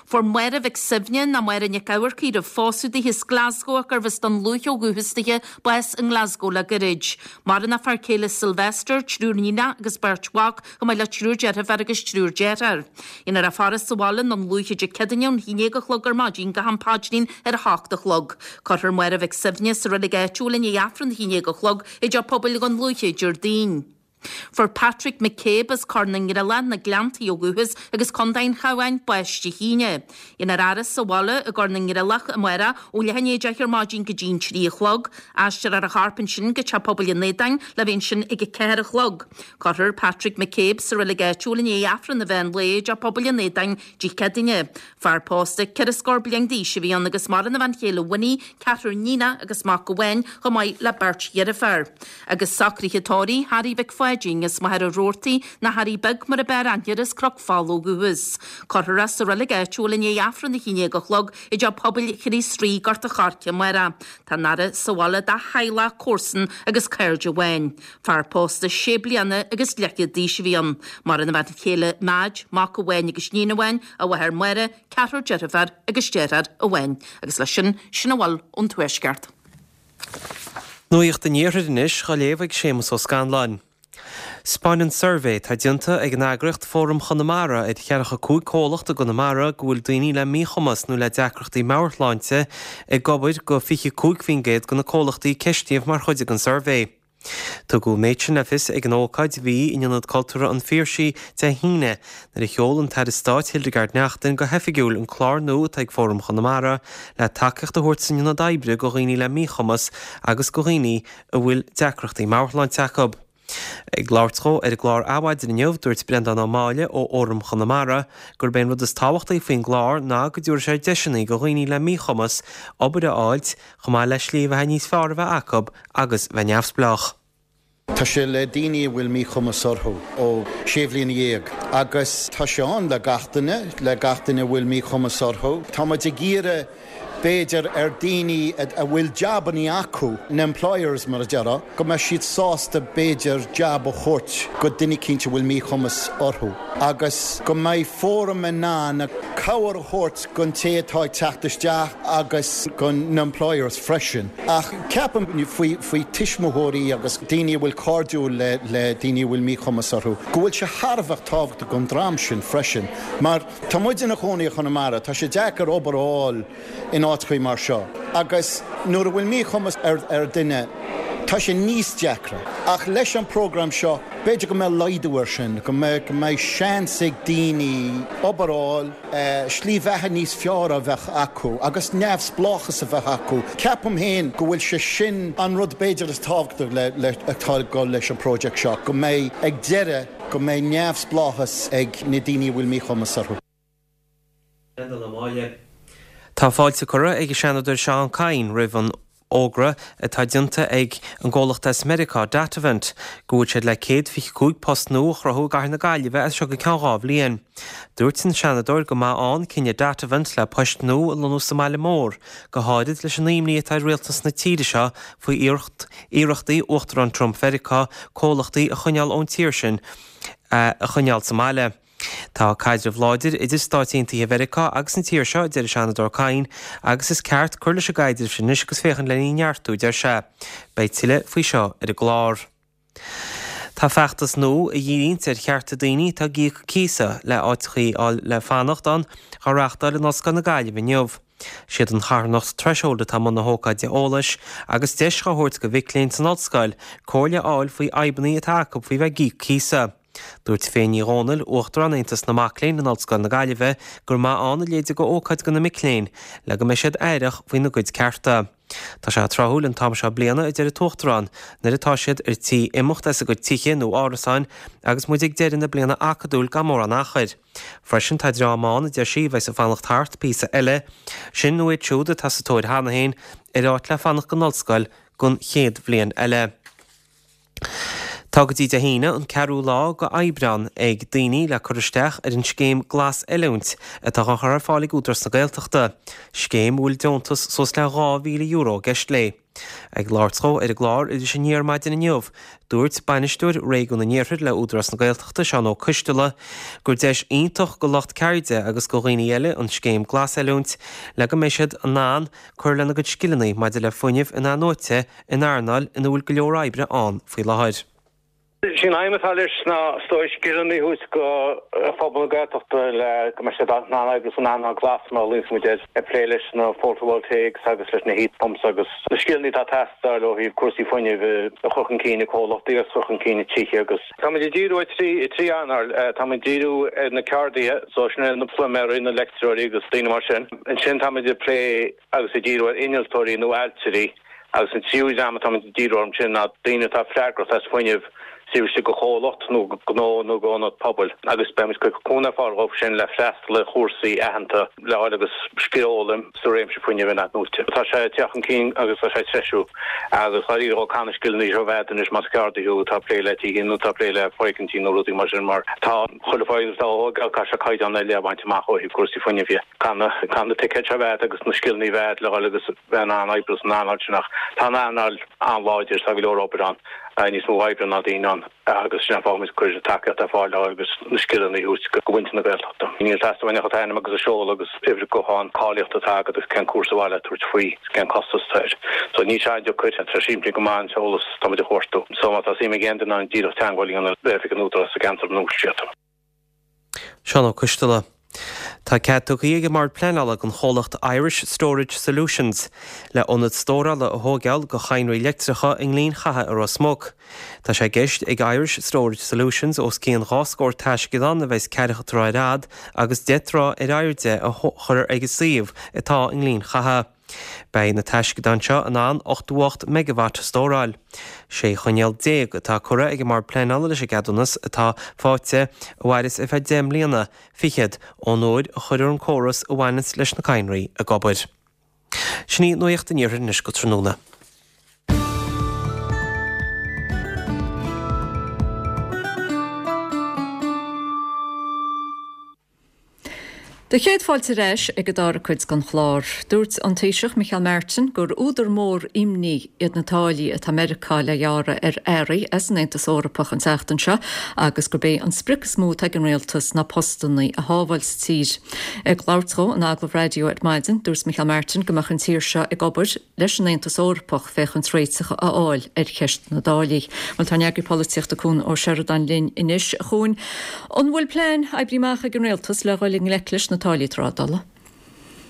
Fuair Máire Mhic Suibhne, ná Máire Nic Eamharcaigh roimh phósadh di as Glasgow ach gurbh as Dún Lúiche ó dhúchas dithe, bás i nGlasgow le goirid. Maireann a fear céile Sylvester, triúr níonach agus beirt mhac, chomh maith le triúr deirfiúr agus triúr deartháir. Dhéanfar a faire sa bhaile i nDún Lúiche Dé Céadaoine ón haon déag a chlog ar maidin go ham paidrín ar a hocht a chlog. Cuirfear Máire Mhic Suibhne sa reilig áitiúil i ndiaidh Aifreann a haon déag a chlog i dTeach Pobail Dhún Lúiche Déardaoin. Fuair Patrick McCabe as Corr na nGreallach, na Gleanntaí ó dhúchas agus Contae an Chabháin, bás Dé hAoine. Dhéanfar a fhaire sa bhaile i gCorr na nGreallach amárach ó leath i ndiaidh a deich ar maidin go dtí'n trí a chlog. Aistreofar a chorp ansin go Teach Pobail an Aodáin le bheith ansin ag a ceathair a chlog. Cuirfear Patrick McCabe sa reilig áitiúil i ndiaidh Aifreann an mheán lae i dTeach Pobail an Aodáin Dé Céadaoine. Fear pósta ceithre scór bliain d'aois a bhí ann agus maireann a bhean chéile Winnie, ceathrar níonach agus mac amháin, chomh maith le beirt dheirféar. Agus socruithe tórraimh Harry Mhic Pháidín as Machaire Rabhartaigh, ná Harry Beag mar ab fhearr aithne air as Cnoc Fola ó dhúchas. Cuirfear é sa reilig áitiúil i ndiaidh Aifreann a haon déag a chlog i dTeach Pobail Chríost Rí, Gort a' Choirce amárach. Tá an fhaire sa bhaile dá theaghlach, comharsan agus cairde amháin. Fear pósta sé bliana agus leathchéad d'aois a bhí ann. Maireann a bhean chéile Madge, mac amháin agus níon amháin, a mháthair Máire, ceathrar deirfiúr agus deartháir amháin. Agus leis sin, sin a bhfuil ón Tuaisceart. Nuacht an Iarthair anois, á léamh ag Séamus Ó Scanláin. 'Spáineann suirbhé atá déanta ag an eagraíocht Fóram Chonamara ar cheathracha cúig comhlacht i gConamara go bhfuil daoine le míchumas nó le deacrachtaí meabhairshláinte ag obair go fiche cúig faoin gcéad de na comhlachtaí a ceistíodh mar chuid den suirbhé. Tugadh an méid sin le fios ag an ócáid a bhí in Ionad Cultúrtha an Phiarsaigh Dé hAoine nuair a sheol an tAire Stáit Hildegarde Naughton go hoifigiúil an clár nua atá ag Fóram Chonamara le tacaíocht a thabhairt san ionad oibre go dhaoine le míchumas agus go dhaoine a bhfuil deacrachtaí meabhairshláinte acu. Ag labhairt dhó ar an gclár Adhmhaidin inniu, dúirt Breandán Ó Máille ó Fhóram Chonamara gurb é an rud is tábhachtaí faoin gclár ná go dtabharfaidh sé deiseanna go dhaoine le míchumas obair a fháilt, chomh maith le slí bheatha níos fearr a bheith acu agus bheith neamhspleách. Tá sé le daoine a bhfuil míchumas orthu ó sé bhliana dhéag agus tá sé ann le gach duine, le gach duine a bhfuil míchumas orthu. Tá muid ag iarraidh b'fhéidir ar daoine a bhfuil jabannaí acu, na employers mar a déarfá, go mbeidh siad sásta b'fhéidir jab a thabhairt go duine eicínt a bhfuil míchumas orthu agus go mbeidh Fóram in ann cabhair a thabhairt gon té atá ag teacht isteach agus gon na employers freisin. Ach ceapaim faoi faoi tuismitheoirí agus daoine a bhfuil cairdiúil le le daoine a bhfuil míchumas orthu, go bhfuil sé thar a bheith tábhachtach gon dream sin freisin mar tá muid ina chónaí i Chonamara, tá sé deacair obair a fháil in áiteachaí mar seo agus nuair a bhfuil míchumas ar ar duine tá sé níos deacra. Ach leis an program seo b'fhéidir go mbeidh laghdú ar sin, go mbeidh go mbeidh seans ag daoine obair a fháil, slí bheatha níos fearr a bheith acu agus neamhspleáchas a bheith acu. Ceapaim féin go bhfuil sé sin an rud b'fhéidir is tábhachtaí le le atá ag dul leis an project seo, go mbeidh ag deireadh go mbeidh neamhspleáchas ag na daoine a bhfuil míchumas orthu. Tá fáilte curtha ag an Seanadóir Seán Kyne roimh an fhógra atá déanta ag an gcomhlacht as Meiriceá, Datavant, go bhfuil siad le céad fiche cúig post nua a chruthú i gcathair na Gaillimhe as seo go ceann dhá bhliain. Dúirt an Seanadóir go maith ann cinneadh Datavant le poist nua a lonnú sa mbaile mór, go háirid leis an imní atá ar rialtas na tíre seo faoi iarrachtaí Uachtarán Trump Mheiriceá comhlachtaí a choinneáil ón tír sin a choinneáil sa mbaile. Tá caidreamh láidir idir Stáit Aontaithe Mheiriceá agus an tír seo, a deir an Seanadóir Kyne, agus is ceart cur leis an gcaidreamh sin anois agus féachaint lena neartú, a deir sé. Beidh tuilleadh faoi seo ar an gclár. Tá feachtas nua a dhíríonns ar chearta daoine atá ag íoc cíosa le áiteachaí a fháil le fanacht ann á reáchtáil in Ollscoil na Gaillimhe inniu. Siad an charthanacht Threshold atá i mbun na hócáide eolais agus deis á thabhairt go mhic léinn san ollscoil comhairle a fháil faoi fhadhbanna atá acu faoi bheith ag íoc cíosa. Dúirt Féin Ní Dhomhnaill, Uachtarán Aontas na Mac Léinn in Ollscoil na Gaillimhe, gur maith ann a leithéid de ócáid do na mic léinn le go mbeidh siad aireach faoina gcuid cearta. Tá sé tráthúil an t-am seo bliana, a deir an tUachtarán, nuair atá siad ar tí imeacht as a gcuid tithe nó árasáin agus muid ag deireadh na bliana acadúil gan mórán achair. Freisin tá dream ann, a deir sí, a bheas ag fanacht thart píosa eile, sin nó iad siúd atá sa tóir cheana féin ar áit le fanacht don ollscoil don chéad bhliain eile. Tá go dtí Dé hAoine, an ceathrú lá go Aibreán, ag daoine le cur isteach ar an scéim Glas-Oiliúint atá á chur ar fáil ag Údarás na Gaeltachta, scéim a bhfuil deontas suas le dhá mhíle euro i gceist léi. Ag labhairt dhó ar an gclár Iris Aniar maidin inniu, dúirt Bainisteoir Réigiún an Iarthair le Údarás na Gaeltachta, Seán Ó Coisteala, gur deis iontach go lucht ceirde agus go dhaoine eile an scéim Glas-Oiliúint le go mbeidh siad in ann cur lena gcuid scileanna maidir le fuinneamh in-athnuaite in earnáil ina bhfuil go leor oibre ann faoi láthair. Is í an aidhm atá leis ná is dóigh scileanna a thabhairt go phobal na Gaeltachta le go mbeidh siad in ann oibriú san earnáil glas mar a luíonns muid air, ag plé leis na photovoltaics agus leis na heat pumps agus na scileanna atá ag teastáil ó thaobh cúrsaí fuinnimh a chur chun cinn i comhlachtaí agus a chur chun cinn i tithe agus Táimid ag díriú ar trí trí earnáil. Táimid ag díriú ar na ceardaithe, so sin na pluiméirí, na leictreoirí agus daoine mar sin. Ansin táimid ag plé agus ag díriú ar innealtóirí nó ailtirí agus an tríú dream atáimid ag díriú orthu sin ná daoine atá freagrach as fuinneamh taobh istigh de chomhlacht nó gnó nó d'ionad pobail agus beimid ag cur cúnamh ar fáil dhóibh sin le freastal ar chúrsaí aitheanta le fháil agus scil a fhoghlaim sa réimse fuinnimh in-athnuaite. Tá sé ag teacht chun cinn agus tá sé ag treisiú agus dáiríre ó caithfidh na scileanna seo a bheith agat anois más ceardaí thú atá ag plé le tithe nó atá ag plé le foirgintí nó rudaí mar sin mar tá chuile foirgneamh atá á thógáil caithfidh sé caighdeán ar leith a bhaint amach ó thaobh cúrsaí fuinnimh dhe. Caithfidh na ticéid seo a bheith agat agus na scileanna a bheith agat le dhul agus bheith in ann oibriú san earnáil sin ach tá an earnáil an-láidir, tá go leor obair ann, níos mó oibre ná daoine ann agus sin an fáth go bhfuil muid ag cur tacaíocht ar fáil leo agus na scileanna a thabhairt go mhuintir na Gaeltachta. Níl ag teastáil uainn ach an t-ainm agus an seoladh agus uimhir gutháin, cáilíocht atá agat agus cén cúrsa ar mhaith leat tabhairt faoi agus cén costas atá air. So níl sé an-deacair, tá sé simplí go maith an t-eolas atá muid a chuartú. So má tá suim ag aon duine ann díreach teagmháil a dhéanamh le oifig an Údarás sa gceantar ina bhfuil siad. Seán Ó Coisteala. Tá cead tugtha ag an mBord Pleanála don chomhlacht Irish Storage Solutions le ionad stórála a thógáil do chadhnraí leictreacha i nGleann Chatha i Ros Muc. Tá sé i gceist ag Irish Storage Solutions os cionn dhá scór taisceadán a bheas ceathracha troigh ar fhad agus deich dtroigh ar airde a chur ag an suíomh atá i nGleann Chatha. Beidh na taisceadáin seo in ann ochtó a hocht megawatt a stóráil. Sé choinníoll déag atá curtha ag an mBord Pleanála leis an gceadúnas atá faighte, a mhairfeas ar feadh deich mbliana fichead ón uair a chuirfear an córas a bhaineanns leis na cadhnraí ag obair. Sin í Nuacht an Iarthair anois go tráthnóna. Do chéad fáilte ar ais ag an dara cuid den chlár. Dúirt an Taoiseach Micheál Martin gur údar mór imní iad na táillí atá Meiriceá le gearradh ar earraí as an Aontas Eorpach an tseachtain seo agus gurb é an sprioc is mó atá ag an rialtas ná postanna a shábháil sa tír. Ag labhairt dó in agallamh raidió ar maidin, dúirt Micheál Martin go mbeadh an tír seo ag obair leis an Aontas Eorpach féachaint réiteach a fháil ar cheist na dtáillí. Bhuel tá ár n-eagraí polaitíochta Cuan Ó Seireadáin linn anois. A Chuain, an bhfuil plean oibrithe amach ag an rialtas le dhul i ngleic leis na táillí trádála?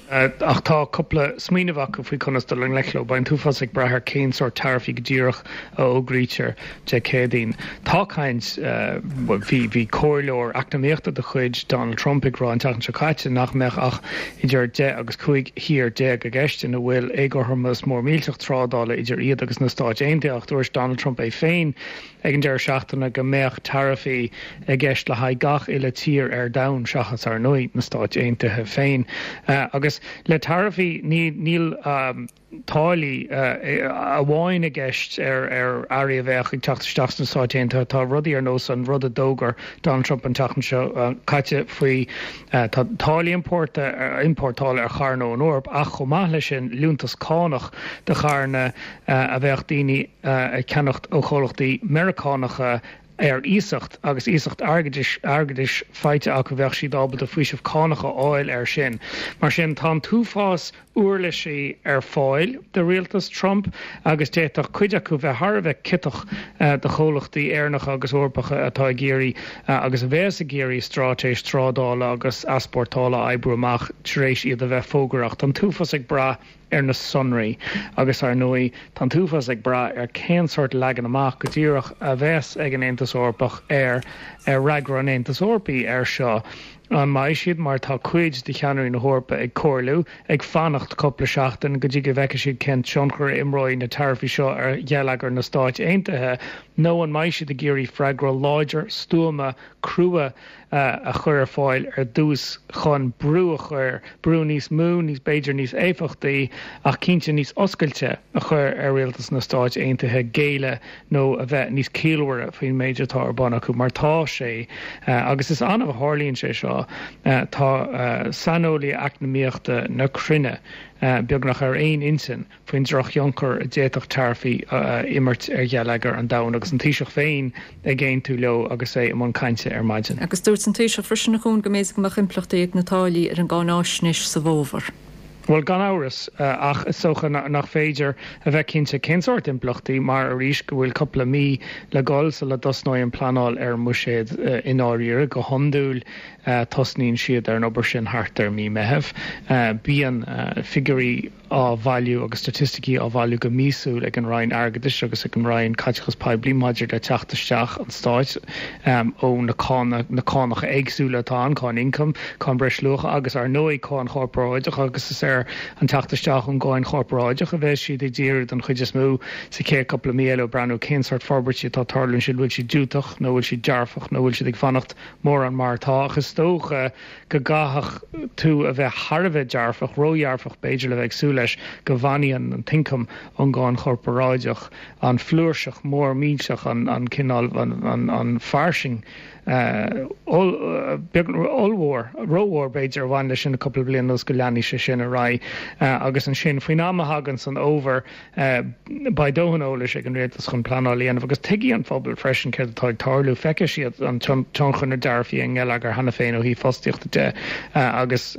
Ach tá cúpla smaoineamh acu faoi conas dul i ngleic leo. Beidh an t-uafás ag brath ar cén sórt taraifí go díreach a fhógraítear Dé Céadaoin. Tá caint, bhí bhí comhairleoir eacnamaíochta de chuid Donald Trump ag rá an tseachtain seo caite nach mbeadh ach idir deich agus cúig thír déag i gceist ina bhfuil éagothromas mór millteach trádála idir iad agus na Stáit Aontaithe ach dúirt Donald Trump é féin ag an deireadh seachtaine go mbeadh taraifí i gceist le haghaidh gach uile tír ar domhan seachas, ar ndóigh, na Stáit Aontaithe féin. Agus le taraifí níl táillí amháin i gceist ar earraí a bheadh ag teacht isteach sna Stáit Aontaithe. Tá rudaí ar nós an rud a d'fhógair Donald Trump an tseachtain seo caite faoi tá táillí iompórtála ar charranna ón Eoraip ach chomh maith leis sin liúntas cánach do charranna a bheadh daoine ag ceannacht ó chomhlachtaí Meiriceánacha ar iasacht agus iasacht airgeadais airgeadais faighte acu bheadh siad ábalta faoiseamh cánach a fháil air sin. Mar sin tá an t-uafás uirlisí ar fáil do rialtas Trump agus d'fhéadfadh cuid acu bheith thar a bheith ciotach do chomhlachtaí Éireannacha agus Eorpacha atá ag iarraidh agus a bheas ag iarraidh straitéis trádála agus easpórtála a oibriú amach tar éis iad a bheith fógartha. Ach tá an t-uafás ag brath ar na sonraí agus ar ndóigh tá an t-uafás ag brath ar cén sórt leagan amach go díreach a bheas ag an Aontas Eorpach ar ar fhreagra an Aontais Eorpaigh air seo. An mbeidh siad, mar tá cuid de cheannairí na hEorpa ag comhairliú, ag fanacht cúpla seachtain go dtí go bhfeicfidh siad cén tionchar a imreoidh na taraifí seo ar gheilleagar na Stáit Aontaithe, nó an mbeidh siad ag iarraidh freagra láidir, stuama, crua a chur ar fáil ar dtús chun brú a chur, brú níos mó, níos, b'fhéidir níos éifeachtaí ach cinnte níos oscailte a chur ar rialtas na Stáit Aontaithe géilleadh nó a bheith níos ciallmhaire faoin méid atá ar bun acu mar tá sé agus is annamh a tharlaíonn sé seo tá saineolaithe eacnamaíochta na cruinne beagnach ar aon intinn faoin drochthionchar a d'fhéadfadh taraifí a imirt ar gheilleagar an domhain agus an Taoiseach féin ag aontú leo agus é i mbun cainte ar maidin. Agus dúirt an Taoiseach freisin, a Chuain, go mb'fhéidir go mbeadh impleachtaí ag na táillí ar an gcáináisnéis sa bhfómhar. Bhuel, gan amhras, ach is dócha nach féidir a bheith cinnte cén sórt impleachtaí mar, arís, go bhfuil cúpla mí le dhul sula dtosnóidh an pleanáil ar an mbuiséad i ndáiríre. Go hiondúil tosnaíonn siad ar an obair sin thart ar mí Meitheamh. Bíonn figiúirí á bhailiú agus staitisticí á bhailiú go míosúil ag an Roinn Airgeadais agus ag an Roinn Caiteachais Poiblí maidir le teacht isteach an Stáit ó na cánacha éagsúla atá ann, cáin ioncaim, cáin bhreisluacha agus, ar ndóigh, cáin chorparáideach agus is ar an teacht isteach ón gcáin chorparáideach a bheas siad ag díriú den chuid is mó sa chéad cúpla mí eile, ag breathnú cén sórt forbairtí atá ag tarlú ansin, bhfuil siad diúltach nó bhfuil siad dearfach nó bhfuil siad ag fanacht mórán mar atá. Ach is dócha go gcaithfeadh tú a bheith thar a bheith dearfach, ródhearfach b'fhéidir le bheith ag súil leis go bhfanfaidh an t-ioncam ón gcáin chorparáideach, an flúirseach mór millteach, an cineál, an fairsing ollmhór, rómhór b'fhéidir, a bhain leis sin le cúpla bliain anuas go leanfaidh sé sin ar aghaidh agus ansin faoin am a thaganns an fhómhar beidh dóthain eolais ag an rialtas chun pleanáil a dhéanamh agus tuigfidh an phobal freisin céard atá ag tarlú. Feicfidh siad an tionchar na dtaraifí ar an ngeilleagar cheana féin ó thaobh fostaíochta de agus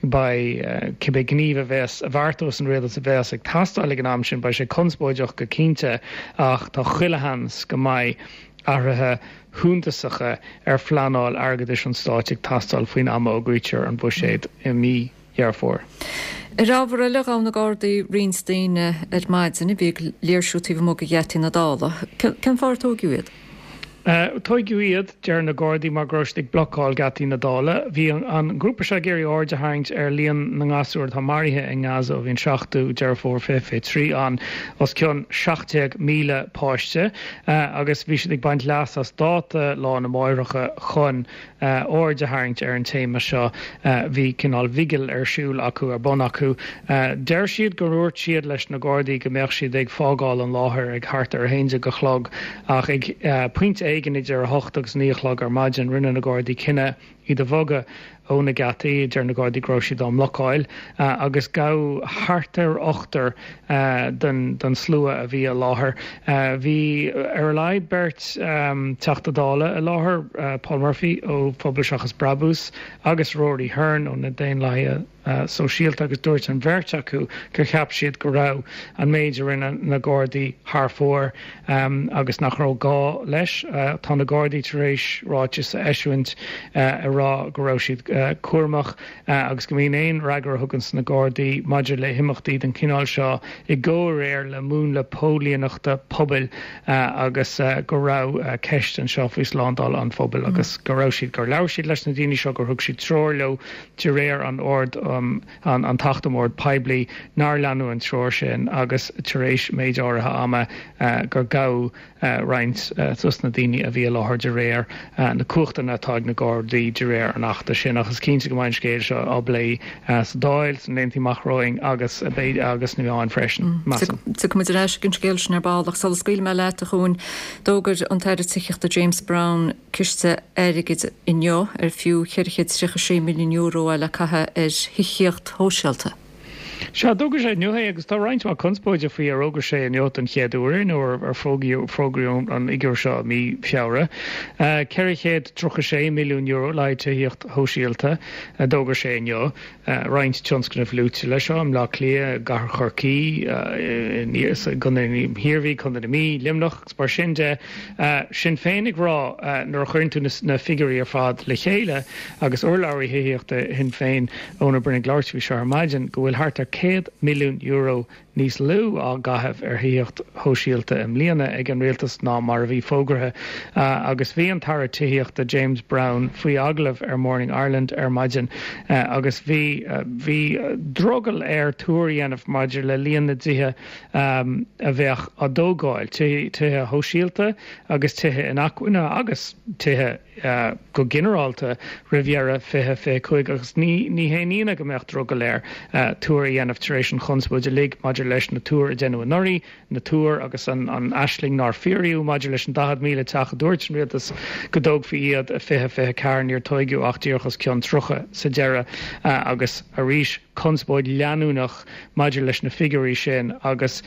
beidh cibé gníomh a bheas a bheartós an rialtas a bheas ag teastáil ag an am sin, beidh sé conspóideach go cinnte ach tá chuile sheans go mbeidh athruithe shuntasacha ar phleanáil airgeadais an stáit ag teastáil faoin am a fhógraítear an buiséad i mí Dheireadh Fómhair. Ar ábhar eile, ghabh na Gardaí roinnt daoine ar maidin a bhí ag léirsiú taobh amuigh de gheataí na Dála. Cén fáth ar tóigeadh iad? Tóigeadh iad, deir na Gardaí, mar go raibh siad ag blocáil geataí na Dála. Bhí an grúpa seo ag iarraidh aird a tharraingt ar líon na ngasúr atá maraithe i nGaza ó bhí an seachtú Deireadh Fómhair fiche fiche trí ann, os cionn seacht déag míle páiste, agus bhí siad ag baint leas as dáta Lá na Máithreacha chun aird a tharraingt ar an téama seo. Bhí cineál vigil ar siúl acu, ar bun acu. Deir siad gur dhúirt siad leis na Gardaí go mbeadh siad ag fágáil an láthair ag thart ar a haon déag a chlog ach ag pointe éigin idir a hocht agus naoi a chlog ar maidin rinne na Gardaí cinneadh iad a bhogadh ó na geataí, deir na Gardaí go raibh siad á mblocáil, agus gabhadh thart ar ochtar den den slua a bhí i láthair. Bhí ar a laghad beirt Teachta Dála i láthair, Paul Murphy ó Phobal Seachas Brabús agus Rory Hearne ó na Daonlathaithe Sóisialta agus dúirt an bheirt acu gur cheap siad go raibh an méid a rinne na Gardaí thar fóir agus nach raibh gá leis. Tá na Gardaí tar éis ráiteas a eisiúint ag rá go raibh siad cúramach agus go mbíonn aon fhreagra a thuganns na Gardaí maidir le himeachtaí den chineál seo i gcomhréir le múnla póilíneachta pobail agus go raibh ceist anseo faoi slándáil an phobail agus go raibh siad, gur labhair siad leis na daoine seo, gur thug siad treoir leo de réir an ord um an tAcht um Ord Poiblí, nár leanadh an treoir sin agus tar éis méid áirithe ama gur gabhadh roinnt dos na daoine a bhí i láthair de réir na cumhachtanna atá ag na Gardaí de réir an Achta sin. Ach is cinnte go mbeidh an scéal seo á bplé sa Dáil sna laethanta amach romhainn agus agus sna meáin freisin, measaim. Tiocfaidh muid ar ais ag an scéal sin ar ball ach sula scaoilfidh mé leat, a Chuain, d'fhógair an tAire Tithíochta James Browne ciste airgid inniu ar fiú ceithre chéad tríocha sé milliún euro é le caitheamh ar thithíocht shóisialta. Sea, d'fhógair sé inniu é agus tá roinnt mhaith conspóide faoi ar fhógair sé inniu den chéad uair é nó ar fógraíodh an fhigiúr seo i mí Feabhra. ceithre chéad tríocha sé milliún euro le haghaidh tithíocht shóisialta a d'fhógair sé inniu. Roinnt tionscnamh luaite leis seo i mBleá Cliath, i gCathair Chorcaí, i gContae na hIarmhí, Contae na Mí, Luimneach agus mar sin de. Sinn Féin ag rá nuair a chuireann tú na figiúirí ar fad le chéile agus urlabhraí thithíochta Shinn Féin, Eoin Ó Broin ag labhairt faoi seo ar maidin, go bhfuil thart ar céad milliún euro níos lú á gcaitheamh ar thithíocht shóisialta i mbliana ag an rialtas ná mar a bhí fógartha agus bhí an tAire Tithíochta James Browne faoi agallamh ar Morning Ireland ar maidin agus bhí bhí drogall air tuar a dhéanamh maidir le líon na dtithe a bheadh á dtógáil, tithe shóisialta agus tithe inacmhainne agus tithe go ginearálta roimh dheireadh fiche fiche cúig agus ní ní haon ionadh go mbeadh drogall air tuar a dhéanamh tar éis an chonspóid uilig maidir leis na tuair a deineadh anuraidh, na tuair agus an an aisling nár fíoraíodh maidir leis an daichead míle teach a dúirt an rialtas go dtógfaí iad i fiche fiche ceathair, níor tóigeadh ach díreach os cionn tríocha sa deireadh agus arís conspóid leanúnach maidir leis na figiúirí sin agus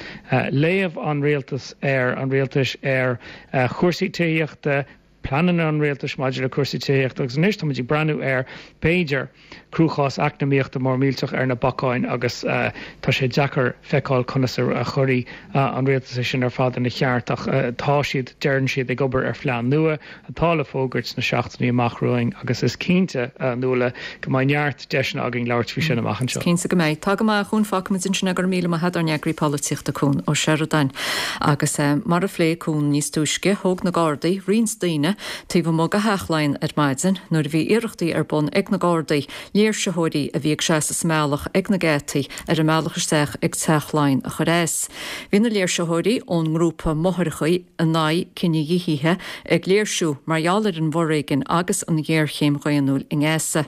léamh an rialtas ar an rialtais ar chúrsaí tithíochta, pleananna an rialtais maidir le cúrsaí tithíochta agus anois táimid ag breathnú ar, b'fhéidir, cruachás eacnamaíochta mór millteach ar na bacáin agus tá sé deacair feiceáil conas a chuirfidh an rialtas é sin ar fad ina cheart ach tá siad, deireann siad, ag obair ar phlean nua atá le fógairt sna seachtainí amach romhainn agus is cinnte, a Nuala, go mbeidh neart deiseanna againn labhairt faoi sin amach anseo. Is cinnte go mbeidh. Tá go maith, a Chuain, fágfaimid ansin é. Go raibh míle maith agat, ár n-eagraí polaitíochta, Cuan Ó Seireadáin. Agus mar a phléigh Cuan níos túisce, thóg na Gardaí roinnt daoine taobh amuigh de Theach Laighean ar maidin nuair a bhí iarrachtaí ar bun ag na Gardaí léirsitheoirí a bhí ag seasamh sa mbealach ag na geataí ar an mbealach isteach ag Teach Laighean a chur as. Bhí na léirsitheoirí ón ngrúpa Máithreacha in aghaidh cinedhíothaithe ag léirsiú mar gheall ar an bhforéigean agus an ghéarchéim dhaonnúil i nGaza.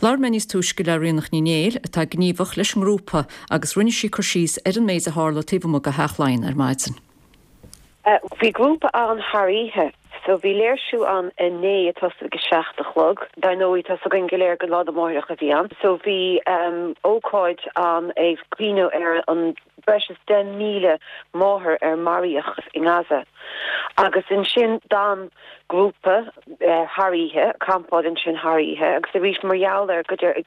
Labhair mé níos túisce le Ríonach Ní Néill, atá gníomhach leis an ngrúpa, agus rinne sí cur síos ar an méid a tharla taobh amuigh de Theach Laighean ar maidin. Bhí grúpa ann thar oíche, so bhí léirsiú ann inné ag tosú ag a seacht a chlog. Dar ndóigh, tá 's againn go léir gur Lá na Máithreacha a bhí ann, so bhí ócáid ann ag cuimhneamh ar an breis is deich míle máthair ar maraíodh i nGaza. Agus ansin d'fhan grúpa thar oíche, campáil ansin thar oíche agus arís mar gheall ar go deir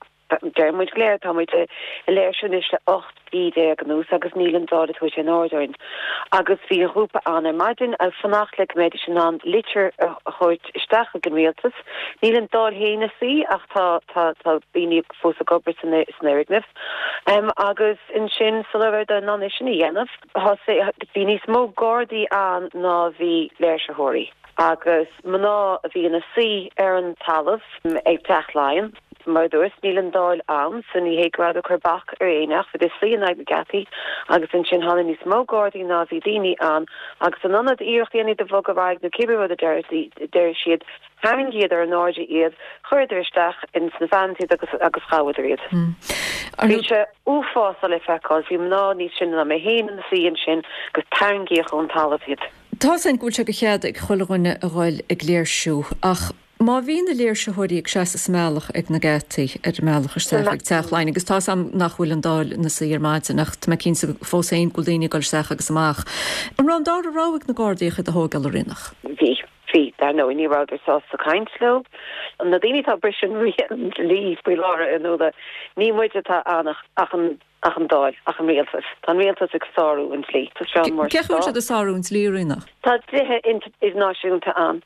Deir muid go léir, tá muid ag léirsiú anois le ocht mhí déag anuas agus níl an Dáil ag tabhairt aon aird orainn. Agus bhí an ghrúpa ann ar maidin ag fanacht le go mbeidís in ann litir a thabhairt isteach chuig an rialtas. Níl an Dáil féin ina suí ach tá tá tá daoine fós ag obair san san fhoirgneamh. Agus ansin sula rabhadar in ann é sin a dhéanamh, thosaigh, bhí níos mó Gardaí ann ná bhí léirsitheoirí. Agus mná a bhí ina suí ar an talamh ag Teach Laighean. Mar a dúras, níl an Dáil ann, so ní hé go rabhadar ag cur bac ar éinne ach bhíodar ag suí in aghaidh na geataí agus ansin tháinig níos mó Gardaí ná bhí daoine ann agus in ionad iarracht a dhéanamh iad a bhogadh ar aghaidh nó cibé rud a deir siad, tharraingíodar in airde iad, chuireadar isteach ins na vans iad agus agus ghabhadar iad. Bhí sé uafásach le feiceáil, bhí mná níos sine ná mé féin ina suí ansin agus tarraingíodh ón talamh iad. Tá 's againn go bhfuil sé de chead ag chuile dhuine a ghoil ag léirsiú ach má bhí na léirsitheoirí ag seasamh sa mbealach ag na geataí ar an mbealach isteach ag Teach Laighean agus tá 's agam nach bhfuil an Dáil ina suí ar maidin ach tá mé cinnte fós féin go bhfuil daoine ag dul isteach agus amach. An raibh an dara rogha ag na Gardaí ach iad a thógáil a Ríonach? Bhí. Bhí. Dar ndóigh ní rabhadar sásta caint leo. Na daoine atá ag briseadh an dlí faoi láthair a Fhionnuala, ní muid atá ann ach an ach an Dáil, ach an rialtas. Tá an rialtas ag sárú an dlí. Tá seo mar Cén chaoi a bhfuil siad ag sárú an dlí, a Ríonach? Tá dlíthe idirnáisiúnta ann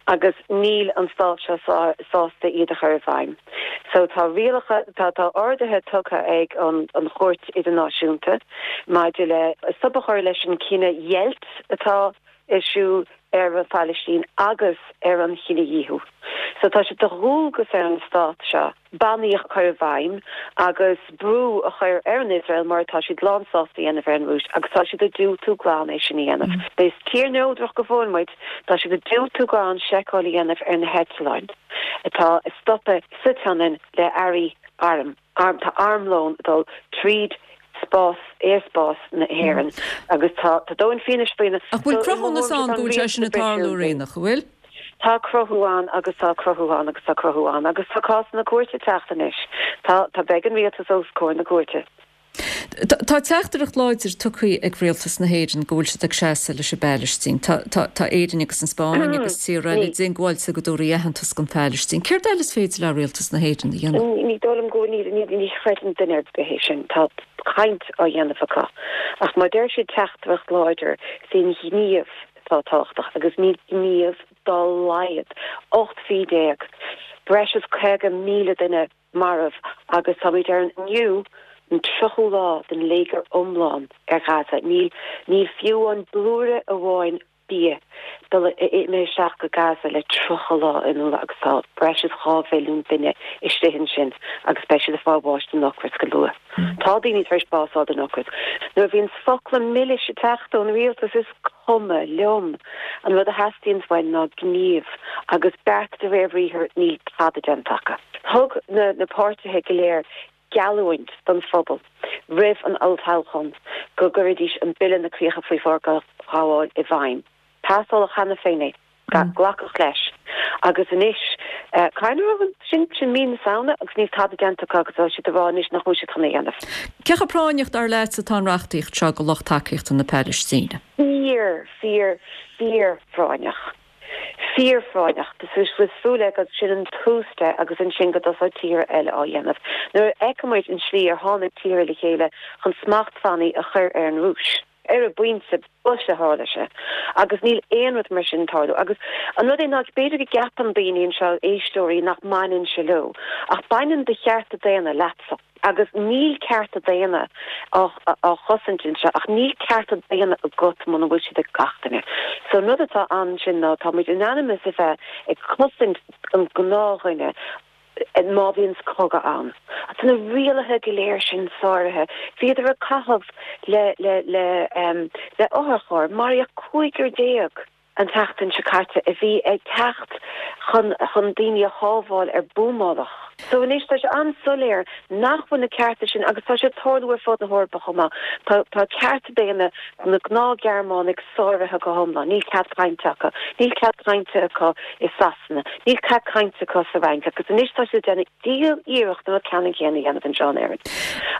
agus níl an stát seo sásta iad a chur i bhfeidhm. So tá rialacha, tá tá orduithe tugtha ag an an Chúirt Idirnáisiúnta maidir le stop a chur leis an cinedheighilt atá ar siúl ar an Phalaistín agus ar an chinedhíothú. So tá sé de dhualgas ar an stát seo bannaí a chur i bhfeidhm agus brú a chur ar an Iosrael mar atá siad lánsásta a dhéanamh ar an Rúis agus tá siad ag diúltú glan é sin a dhéanamh. Is tír neodrach go fóill muid, tá siad ag diúltú glan seiceáil a dhéanamh ar na heitleáin atá ag stopadh sa tSionainn le earraí arm. Arm, tá armlón ag dul tríd spás, aerspás na hÉireann agus tá tá dóthain fianaise faoi na Ach bhfuil cruthúnas ann go bhfuil sé sin ag tarlú, a Ríonach, an bhfuil? Tá cruthú ann agus tá cruthú ann agus tá cruthú ann agus tá cásanna cúirte ag teacht anois. Tá, tá, beidh an rialtas os comhair na cúirte. Tá teachtaireacht láidir tugtha ag rialtas na hÉireann go bhfuil siad ag seasamh leis an bPailistín. Tá, tá, tá Éirinn agus an Spáinn agus tíortha eile diongbháilte go dtabharfaí aitheantas don Phailistín. Céard eile is féidir le rialtas na hÉireann a dhéanamh? Ní dóigh liom go ní, ní, ní chreideann duine ar bith é sin. Tá caint á dhéanamh acu. Ach má deir siad teachtaireacht láidir, is é an gníomh atá tábhachtach agus níl gníomh dá laghad. Ocht mhí déag, breis is caoga míle duine marbh agus táimid ar an inniu an tríochú lá den léigear iomlán ar Ghaza. Níl níl fiú an blúire amháin bia dul imithe isteach go Gaza le tríocha lá anuas agus tá breis is dhá mhilliún duine istigh ansin agus beidh siad ag fáil bháis den ocras go luath. Tá daoine tar éis bás a fháil den ocras. Nuair a bhíonns focla milis ag teacht ón rialtas is cuma liom. An rud a theastaíonns uainn ná gníomh agus beart de réir briathair, níl tada déanta acu. Thug na na páirtithe go léir geallúint don phobal roimh an olltoghchán go gcuirfidís an Bille na Críocha Faoi Forghabháil i bhfeidhm. Pasáladh cheana féin é. Glacadh leis. Agus anois, cathain a raibh an, sin, sin mí na Samhna agus níl tada déanta acu agus tá siad ag rá anois nach bhfuil siad chun é a dhéanamh. Cé chomh práinneach, dar leatsa, atá an reachtaíocht seo do lucht tacaíochta na Palaistíne? Fíor, fíor, fíor-phráinneach. Fíor-phráinneach. Tá súil agam sin an tús de agus ansin go dtosóidh tíortha eile á dhéanamh. Nuair a fheiceann muid an tslí ar tháinig tíortha le chéile chun smachtbhannaí a chur ar an Rúis, ar an bpointe boise a tharla sé agus níl aon rud mar sin ag tarlú. Agus an rud é ná b'fhéidir go gceapann daoine anseo, éisteoirí, nach mbaineann sé leo, ach baineann do chearta daonna leatsa. Agus níl cearta daonna á chosaint anseo, ach níl cearta daonna agat muna bhfuil siad ag gach duine. So an rud atá ann sin ná tá muid in ainm is a bheith ag cosaint an gnáthdhuine má bhíonns cogadh ann. Tá na rialacha go léir sin sáraithe. Bhíodar ag caitheamh le le le le otharchairr, maraíodh cúigear déag. an tseachtain seo caite a bhí ag teacht chun chun daoine a shábháil ar buamáladh. So anois tá sé an-soiléir nach bhfuil na cearta sin agus tá sé ag tarlú ar fud na hEorpa chomh maith. Tá tá cearta daonna na gnáth-Ghearmánaigh sáraithe go hiomlán. Níl cead cainte acu. Níl cead cainte acu i Sasana. Níl cead cainte acu sa Fhrainc agus anois tá siad ag déanamh diabhal iarracht an rud ceannann céanna a dhéanamh anseo in Éirinn.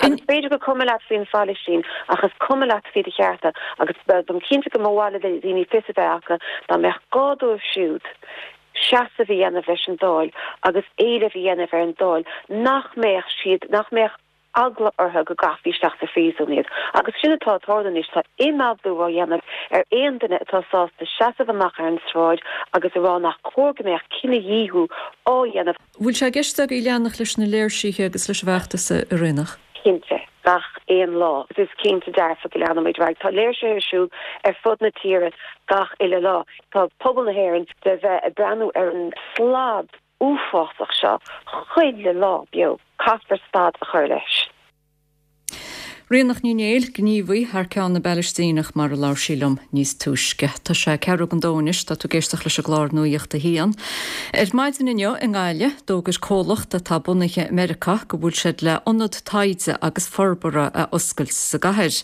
Agus b'fhéidir gur cuma leat faoin Phalaistín ach is cuma leat faoi do chearta agus táim cinnte go mba mhaith le daoine fios a bheith acu dá mbeadh gá dóibh siúd seasamh a dhéanamh leis an Dáil agus éileamh a dhéanamh ar an Dáil nach mbeadh siad, nach mbeadh eagla orthu go gcaithfí isteach sa phríosún iad. Agus sin atá ag tarlú anois, tá imeaglú á dhéanamh ar aon duine atá sásta seasamh amach ar an tsráid agus a rá nach cóir go mbeadh cinedhíothú á dhéanamh. Bhfuil sé i gceist agaibh leanacht leis na léirsithe agus leis an bhfeachtas, a Ríonach? Cinnte. Gach aon lá. Is cinnte dearfa go leanfaimid ar aghaidh. Tá léirsithe ar siúl ar fud na tíre gach uile lá. Tá pobal na hÉireann le bheith ag breathnú ar an slad uafásach seo chuile lá beo. Caithfear stad a chur leis. Ríonach Ní Néill, gníomhaí thar ceann na bPalaistíneach mar a labhair sí liom níos túisce. Tá sé ceathrú don dó anois, tá tú ag éisteacht leis an gclár Nuacht a hAon. Ar maidin inniu i nGaillimh, d'fhógair comhlacht atá bunaithe i Meiriceá go bhfuil siad le ionad taighde agus forbartha a oscailt sa gcathair.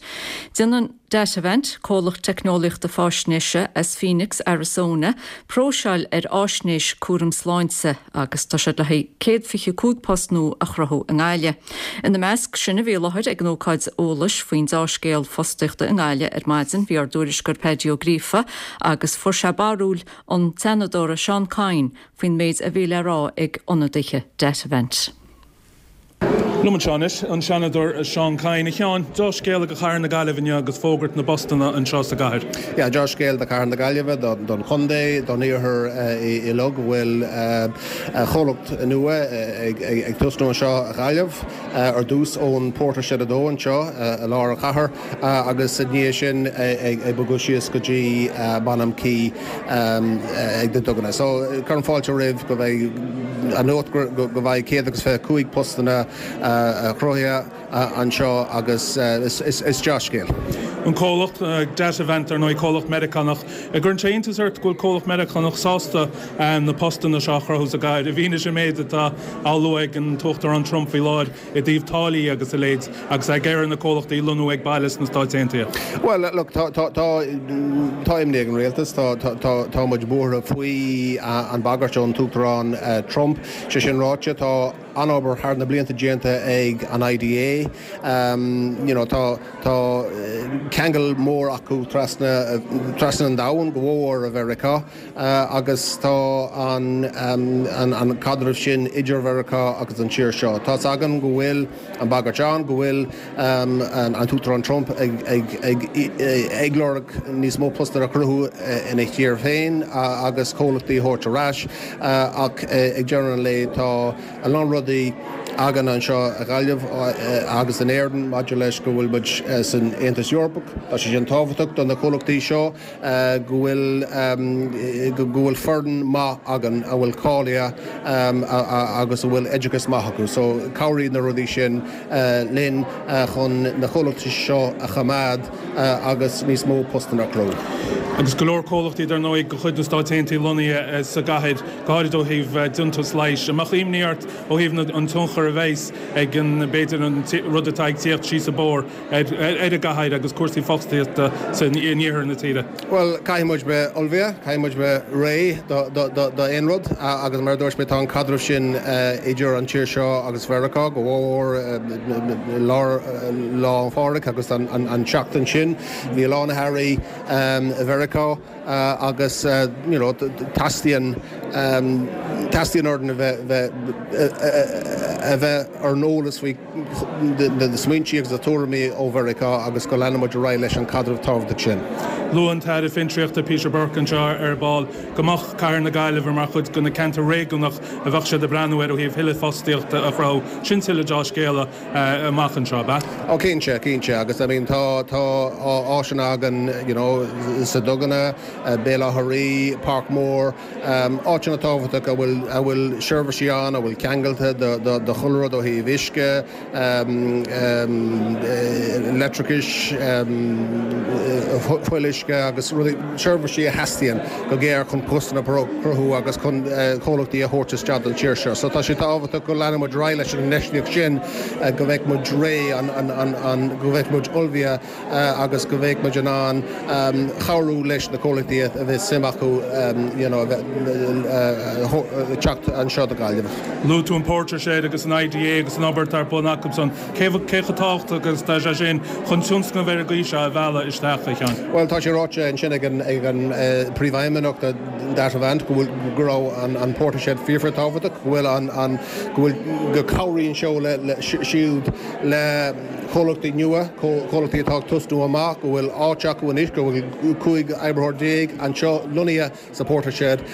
Déanann Datavant, comhlacht teicneolaíochta faisnéise as Phoenix, Arizona, próiseáil ar fháisnéis cúram sláinte agus tá siad le haghaidh céad fiche cúig post nua a chruthú i nGaillimh. Ina measc sin a bhí i láthair ag an ócáid eolais faoin deá-scéal fostaíochta i nGaillimh ar maidin bhí ár dtuairisceoir Paddy Ó Gríofa agus fuair sé barúil an tSeanadóra Seán Kyne faoin méid a bhí le rá ag ionadaithe Datavant. Liom anseo anois, an Seanadóir Seán Kyne. A Sheáin, deá-scéala do chathair na Gaillimhe inniu agus fógairt na bpostanna anseo sa gcathair. Yeah, deá-scéal do chathair na Gaillimhe, don chontae, don iarthar uilig go bhfuil comhlacht nua ag tosnú anseo i Gaillimh, ar dtús ón Portershed a dó anseo i lár an chathair agus i ndiaidh sin ag bogadh síos go dtí Bonham Quay ag na Duganna. So cuirim fáilte roimh go mbeidh an nuacht go mbeidh céad agus fiche cúig postanna cruthaithe anseo agus is dea-scéal. An comhlacht Datavant, ar ndóigh, comhlacht Meiriceánach. An gcuireann sé iontas ort go bhfuil comhlacht Meiriceánach sásta na postanna seo a chruthú sa gcathair, i bhfianaise an méid atá á lua ag an tUachtarán Trump faoi láthair i dtaobh táillí agus a leithéid agus é ag iarraidh na comhlachtaí lonnú ag baile sna Stáit Aontaithe? Bhuel, look, tá tá imní ag an rialtas, tá tá tá muid buartha faoi an bagairt ón tUachtarán Trump. Sé sin ráite, tá an-obair thar na blianta déanta ag an I D A. You know, tá tá ceangal mór acu trasna trasna an domhain, go mór i Mheiriceá, agus tá an an an caidreamh sin idir Mheiriceá agus an tír seo. Tá's againn go bhfuil an bagairt ann, go bhfuil an an tUachtarán Trump ag ag ag ag lorg níos mó postanna a chruthú ina thír féin agus comhlachtaí a thabhairt ar ais, ach ag deireadh an lae tá a lán rudaí againn anseo i Gaillimh agus in Éirinn maidir leis go bhfuil muid san Aontas Eorpach. Tá sé sin tábhachtach do na comhlachtaí seo go bhfuil go bhfuil foireann maith againn a bhfuil cáilithe agus a bhfuil oideachas maith acu. So cabhraíonn na rudaí sin linn chun na comhlachtaí seo a choimeád agus níos mó postanna a chruthú. Agus go leor comhlachtaí dar ndóigh de chuid na Stáit Aontaithe lonnaithe sa gcathair, go háirid ó thaobh déantús leighis. An mbeadh imní ort ó thaobh an tionchar a bheas ag an b'fhéidir an rud atá ag tíocht síos an bóthar ar an gcathair agus cúrsaí fostaíochta san iarthar na tíre? Bhuel, caithfidh muid bheith ullmhaithe, caithfidh muid bheith réidh d'aon rud agus mar a dúirt mé tá an caidreamh sin idir an tír seo agus Mheiriceá go mhór lár Lá 'le Pádraig agus an tseachtain sin. Bhí a lán airí i Mheiriceá agus you know teastaíonn teastaíonn orainn a bheith a bheith ar an eolas faoi na smaointe agus na tuairimí ó Mheiriceá agus go leanfaidh muid ar aghaidh leis an caidreamh tábhachtach sin. Luaigh an tAire Fiontraíochta Peter Burke anseo ar ball go mbeadh Cathair na Gaillimhe mar chuid de na ceantair réigiúnach a bheadh siad ag breathnú ar ó thaobh thuilleadh fostaíochta a chruthú. Sin tuilleadh deá-scéala amach anseo, ab ea? Ó cinnte, cinnte agus I mean tá tá áiseanna againn you know sa Duganna, Béal Átha Rí, Parkmore, áiteanna tábhachtach a bhfuil a bhfuil seirbhísí ann, a bhfuil ceangailte do do do chuile rud ó thaobh uisce, leictreachais, fuíolluisce agus rudaí seirbhísí a theastaíonn go géar chun postanna a chruthú agus chun comhlachtaí a thabhairt isteach don tír seo. So tá sé tábhachtach go leanfaidh muid ar aghaidh leis an infheistíocht sin go mbeidh muid réidh an an an go mbeidh muid ullmhaithe agus go mbeidh muid in ann cabhrú leis na comhlachtaí a bheith suim acu you know teacht anseo do Gaillimh. Luaigh tú an Portershed agus an I D A agus an obair atá ar bun acusan. Cé chomh tábhachtach agus tá sé sin chun tionscnamh ar an gcaoi seo a mhealladh isteach, a Sheáin? Well tá sé sé ráite ansin ag an ag an príomhfheidhmeannach de Datavant go bhfuil go raibh an an PorterShed fíor tábhachtach, go bhfuil an an go bhfuil go cabhraíonn seo le le siúd le comhlachtaí nua, comhlachtaí atá ag tosnú amach, go bhfuil áit acu anois, go bhfuil cúig oibritheoir déag anseo lonnaithe sa PorterShed,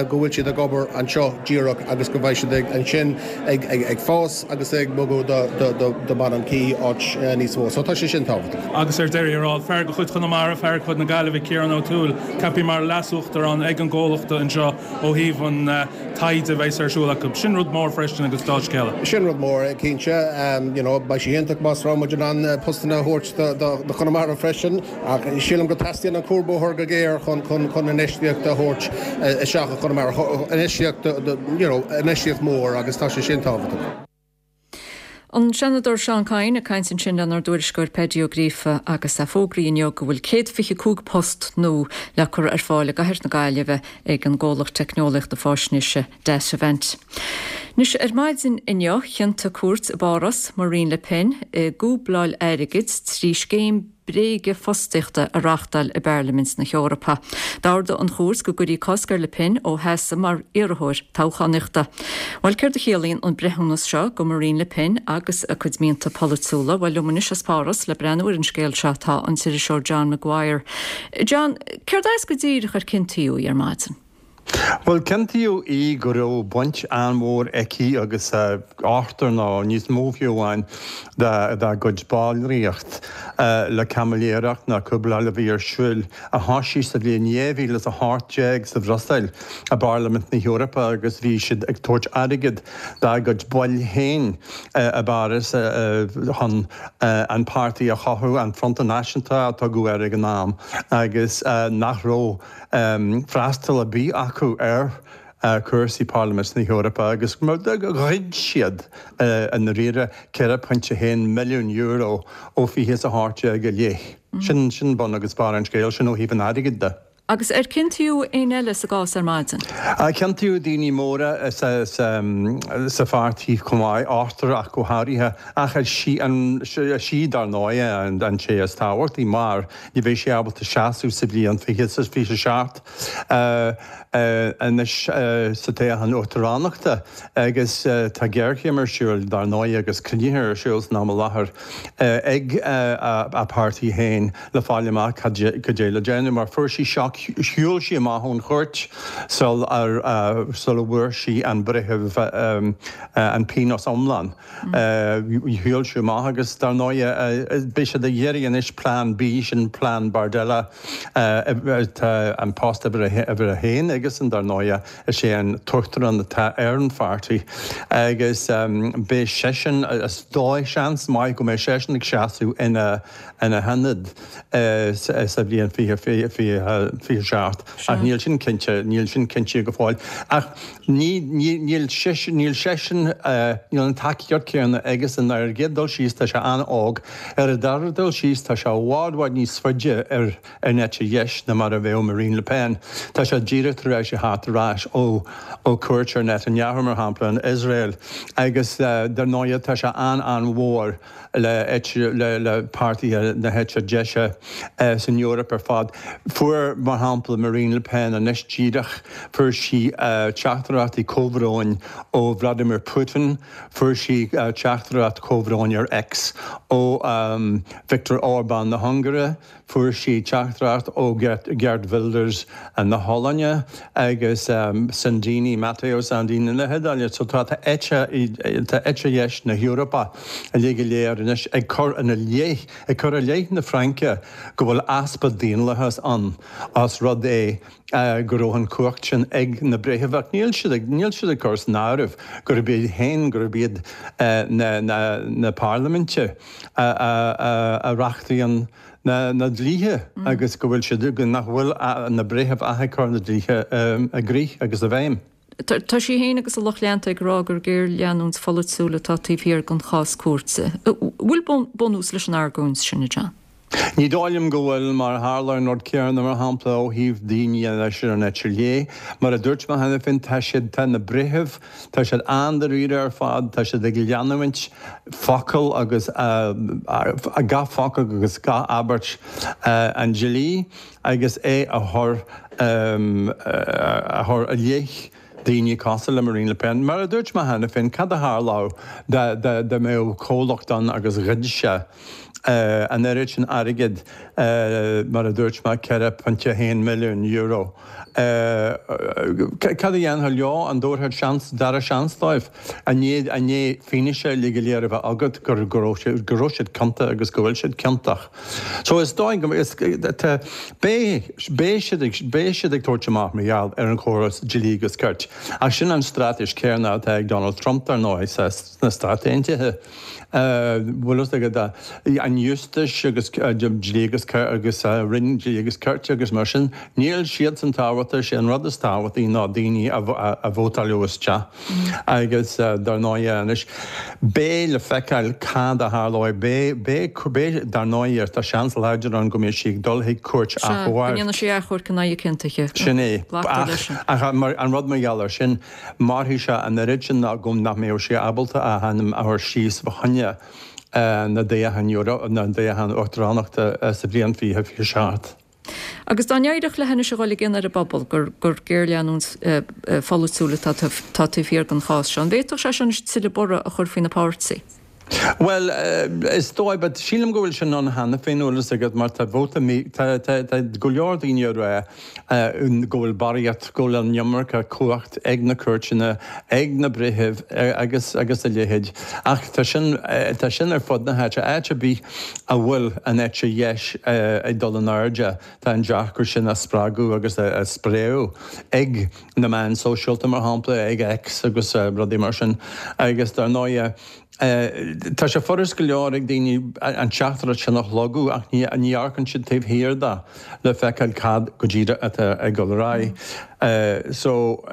go bhfuil siad ag obair anseo díreach agus go mbeidh siad ag ansin ag ag ag fás agus ag bogadh do do do Bean an Quay áit níos mó. So tá sé sin tábhachtach. Agus ar deireadh thiar thall, fear de chuid Chonamara, fear de chuid na Gaillimhe, Ciarán O'Toole, ceaptha mar leasuachtarán ag an gcomhlacht anseo ó thaobh an taighde a bheas ar siúl acu. Sin rud mór freisin agus dea-scéala. Sin rud mór, cinnte. You know, beidh sé iontach más raibh muid in ann postanna a thabhairt do Chonamara freisin, ach sílim go teastaíonn an cuarbhóthar go géar chun chun chun infheistíocht a thabhairt isteach i Chonamara, infheistíocht you know, infheistíocht mór agus tá sé sin tábhachtach. An Seanadóir Seán Kyne ag caint ansin lenár dtuairisceoir Paddy Ó Gríofa agus é fógraithe inniu go bhfuil céad fiche cúig post nua le cur ar fáil i gcathair na Gaillimhe ag an gcomhlacht teicneolaíochta faisnéise Datavant. Anois ar maidin inniu chiontaigh cúirt i bPáras Marine Le Pen i gcúbláil airgid trí scéim bréige fostaíochta a reáchtáil i bParlaimint na hEorpa. D'ordaigh an chúirt go gcuirfí cosc ar Le Pen ó sheasamh mar iarrthóir toghchánaíochta. Bhuel céard a chiallaíonn an breithiúnas seo go Marine Le Pen agus a cuid mianta polaitiúla, bhuel liom anois as Páras le breathnú ar an scéal seo tá an t-iriseoir John Maguire. John, céard as go díreach ar ciontaíodh í ar maidin? Bhuel ciontaíodh í go raibh baint an-mhór aici agus ochtar nó níos mó fiú amháin dá gcuid ballraíocht le caimiléireacht nó cúbláil a bhí ar siúl a thosaigh sa bhliain dhá mhíle is a hocht déag sa Bhruiséil i bParlaimint na hEorpa agus bhí siad ag tabhairt airgead dá gcuid baill féin i bPáras chun an páirtí a chothú, an Fronta Náisiúnta a tugadh air ag an am agus nach raibh freastal ar bith acu ar chúrsaí Parlaimint na hEorpa agus ghoid siad i ndáiríre ceithre pointe haon milliún euro ó fiche is a hocht déag i leith. Sin sin bun agus barr an scéil, sin ó thaobh an airgid de. Agus ar ciontaíodh éinne eile sa gcás ar maidin? Ciontaíodh daoine móra sa sa pháirtí chomh maith, ochtar ach go háirithe, ach is í an sí dar ndóigh an té is tábhachtaí mar ní bheidh sí ábalta seasamh sa bhliain fiche is fiche seacht anois sa toghchán uachtaránachta agus tá géarchéim ar siúl dar ndóigh agus cruinnithe ar siúl san am i láthair ag a páirtí féin le fáil amach cad é le déanamh mar fuair sí sioc shiúil sí amach ón chúirt sul sula bhfuair sí an breitheamh an pionós iomlán. Shiúil sí amach agus dar ndóigh beidh siad ag iarraidh anois plean B sin plean Bardella tá an post uimhir a haon aigesean dar ndóigh is é an t-uachtarán atá ar an pháirtí agus beidh seisean is dóigh seans maith go mbeidh seisean ag seasamh ina ina hionad sa bhliain fiche fiche seacht ach níl sin cinnte níl sin cinnte go fóill ach ní níl níl seisean níl an tacaíocht céanna aigesean ar an gcéad dul síos tá sé an-óg ar an dara dul síos tá sé i bhfad bhfad níos faide ar an eite dheis ná mar a bheadh Marine Le Pen. Tá sé díreach tar éis a theacht ar ais ó ó cuairt ar Netanyahu mar shampla in Iosrael agus dar ndóigh tá sé an-an-mhór le le le páirtithe na heite deise san Eoraip ar fad. Fuair mar shampla Marine Le Pen anois díreach fuair sí teachtaireachtaí comhbhróin ó Vladimir Putin, fuair sí teachtaireacht comhbhróin ar X ó Viktor Orbán na hUngáire, fuair sí teachtaireacht ó Geert Wilders na hOllainne agus Salvini Matteo Salvini na hIodáile, so tá eite tá eite dheis na hEorpa uilig go léir anois ag cur ina leith ag cur i leith na Fraince go bhfuil easpa daonlathas ann as rud é go raibh an chumhacht sin ag na breithimh ach níl siad ag níl siad ag cur san áireamh gurb iad féin gurb iad na na na parlaiminte a a a reachtaíonn na na dlíthe agus go bhfuil siad nach bhfuil na breithimh ach ag cur na dlíthe i gcrích agus i bhfeidhm. Tá sí féin agus a lucht leanta ag rá gur géarleanúint pholaitiúil atá taobh thiar den chás cúirte. Bhfuil bunús leis an argóint sin, John? Ní dóigh liom go bhfuil, mar tharla an rud céanna, mar shampla, ó thaobh daoine anois ar an eite chlé. Mar a dúirt mé cheana féin, tá siad, tá na breithimh, tá siad an-dáiríre ar fad, tá siad ag leanúint focal agus gach focal agus gach abairt an dlí agus é a chur, a chur i leith daoine cosúil le Marine Le Pen. Mar a dúirt mé cheana féin, cad a tharlódh dá mbeadh comhlacht ann agus ghoid sé an oiread sin airgid, mar a dúirt mé, ceithre pointe a haon milliún euro? Cad a dhéanfá leo? An dtabharfá seans, dara seans dóibh? I ndiaidh, i ndiaidh fianaise uilig go léir a bheith agat go raibh, go raibh siad ciontach agus go bhfuil siad ciontach. So is dóigh go, is, tá, beidh, beidh siad ag, beidh siad ag tabhairt amach mar gheall ar an chóras dlí agus cirt. Ach sin an straitéis céanna atá ag Donald Trump dar ndóigh sa, sna Stáit Aontaithe. Bhfuil fhios agat an Justice agus dlí agus agus Roinn Dlí agus Cirt agus mar sin, níl siadsan tábhachtach, sé an rud is tábhachtaí ná daoine a vótáil isteach agus dar ndóigh anois beidh le feiceáil cad a tharlóidh, beidh, beidh, beidh, dar ndóigh tá seans láidir ann go mbeidh sí ag dul chuig cúirt Sea, go achomhairc. ndéanfaidh sí achomharc in aghaidh a ciontaithe. Sin é. Glactar leis sin. Ach an rud mar gheall air sin, mairfidh sé an oiread sin ná go nach mbeadh sé ábalta a hainm a chur síos fá choinne na dtoghchán na dtoghchán uachtaránachta sa bhliain fiche fiche seacht. Agus dá n-éireodh léi anois a dhul i gcion ar an bpobal gur gur géarleanúint pholaitiúil atá taobh thiar den chás seo, an bhféadfadh sé sin anois tuilleadh borradh a chur faoina páirtí? Bhuel, is dóigh, but sílim go bhfuil sin ann cheana féin, bhfuil fhios agat, mar tá vóta mí, tá, tá, tá go leor daoine ag rá go bhfuil barraíocht, go bhfuil an iomarca cumhacht ag na cúirteanna, ag na breithimh agus, agus a leithéid. Ach tá sin, tá sin ar fud na háite. Áit ar bith a bhfuil an eite dheis ag dul in airde, tá an dearcadh sin á spreagadh agus á spréadh ag na meáin sóisialta, mar shampla, ag X agus rudaí mar sin. Agus dar ndóigh, Tá sé furast go leor ag daoine an teachtaireacht sin a shlogadh ach ní amharcann siad taobh thiar de le feiceáil cad go díreach atá ag dul ar aghaidh. So,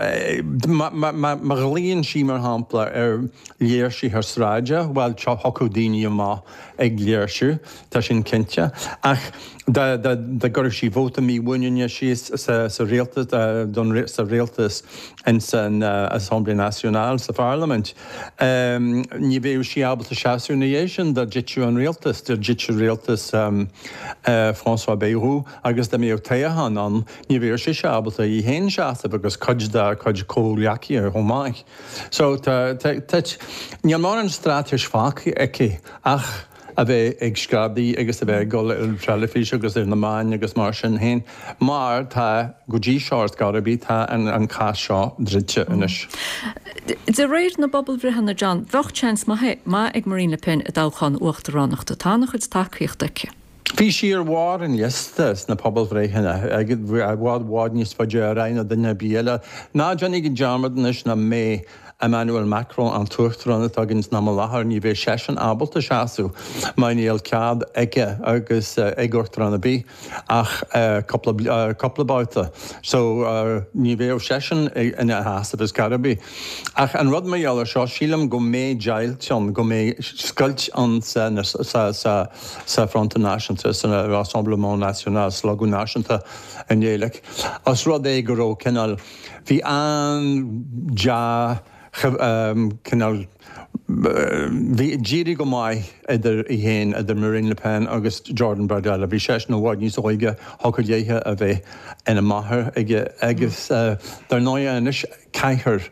má ghlaonn sí, mar shampla, ar léirsithe sráide, bhuel, thiocfadh daoine amach ag léirsiú, tá sin cinnte. Ach dá gcuirfeadh sí vóta mímhuiníne síos sa rialtas, sa rialtas ins an Assemblée Nationale, sa pharlaimint, ní bheadh sí ábalta seasamh ina dhiaidh sin dá dtitfeadh an rialtas, dá dtitfeadh rialtas François Bayrou agus dá mbeadh toghchán ann, ní bheadh sise ábalta í féin seasamh agus cuid dá cuid comhghleacaithe chomh maith. So tá, tá, tá, níl mórán straitéis fágtha aici ach a bheith ag screadaí agus a bheith ag dul ar an teilifís agus ar na meáin agus mar sin féin, mar tá, go dtí seo ar scor ar bith, tá an cás seo druidte anois. De réir na bpobalbhreitheanna, John, bheadh seans maith ag Marine Le Pen i dtoghchán uachtaránachta. Tá an-chuid tacaíochta aici. Bhí sí ar bharr an liosta sna pobalbhreitheanna, i bhfad bhfad níos faide ar aghaidh ná duine ar bith eile. Ná déanaigí dearmad anois nach mbeidh Emmanuel Macron, an t-uachtarán atá againn san am i láthair, ní bheidh seisean ábalta seasamh mar níl cead aige agus ag uachtarán ar bith ach cúpla cúpla babhta. So ní bheadh seisean ina sheasamh ar scor ar bith. Ach an rud mar gheall air seo, sílim go mbeidh deighilt ann, go mbeidh scoilt ann sa sa sa sa Fronta Náisiúnta, san Rassemblement National, Slógadh Náisiúnta i nGaeilge, os rud é go raibh cineál, bhí an-dea, cineál, bhí, d'éirigh go maith idir í féin, idir Marine Le Pen agus Jordan Bardella. Bhí seisean i bhfad níos óige, thiocfadh léithe a bheith ina máthair aige agus dar ndóigh anois caithfear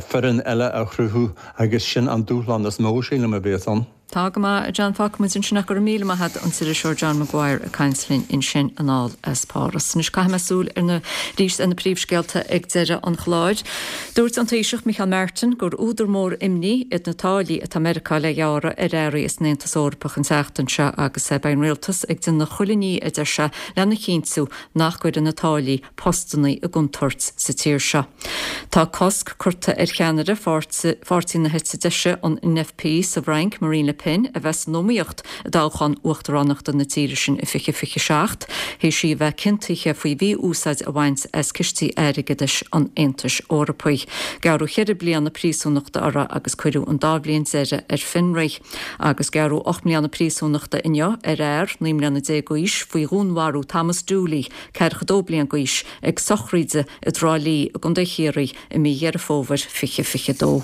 foireann eile a chruthú agus sin an dúshlán is mó, sílim, a bhéas ann. Tá go maith, a John. Fágfaidh muid ansin ach go raibh míle maith agat, an t-iriseoir John Maguire ag caint linn ansin anall as Páras. Anois caithfidh mé súil ar na arís ar na príomhscéalta ag deireadh an chláir. Dúirt an Taoiseach Micheál Martin gur údar mór imní iad na táillí atá Meiriceá le gearradh ar earraí as an Aontas Eorpach an tseachtain seo agus beidh an rialtas ag déanamh chuile ní, a deir sé, lena chinntiú nach gcuireann na táillí postannaí i gcontúirt sa tír seo. Tá cosc curtha ar cheannaire pháirtí na heite deise, an N F P, sa bhFrainc, Marine Le Le Pen a bheith san iomaíocht i dtoghchán uachtaránachta na tíre sin i fiche fiche seacht, théis í a bheith ciontaithe faoi mhí-úsáid a bhaint as cistí airgeadais an Aontais Eorpaigh. Gearradh ceithre bliana príosúnachta uirthi agus cuireadh an dá bhliain deiridh ar fionraí. Agus gearradh ocht mbliana príosúnachta inniu ar fhear naoi mbliana déag d'aois faoi dhúnmharú Thomas Dooley, ceathracha dó bliain d'aois, ag sochraid i dTrá Lí i gContae Chiarraí i mí Dheireadh Fómhair fiche fiche dó.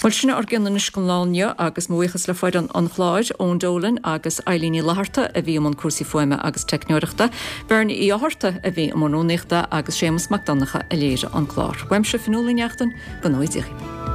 Bhuel, sin ár gcion anois don lá inniu agus mo bhuíochas le foireann an chláir, Eoin Dolan agus Eileen Ní Fhlatharta a bhí i mbun cúrsaí fuaime agus teicneoireachta, Bernie Uí Fhátharta a bhí i mbun rúnaíochta agus Séamus Mac Donncha a léirigh an clár. Uaimse Fionnuala Ní Neachtain, go ngnóthaí Dia.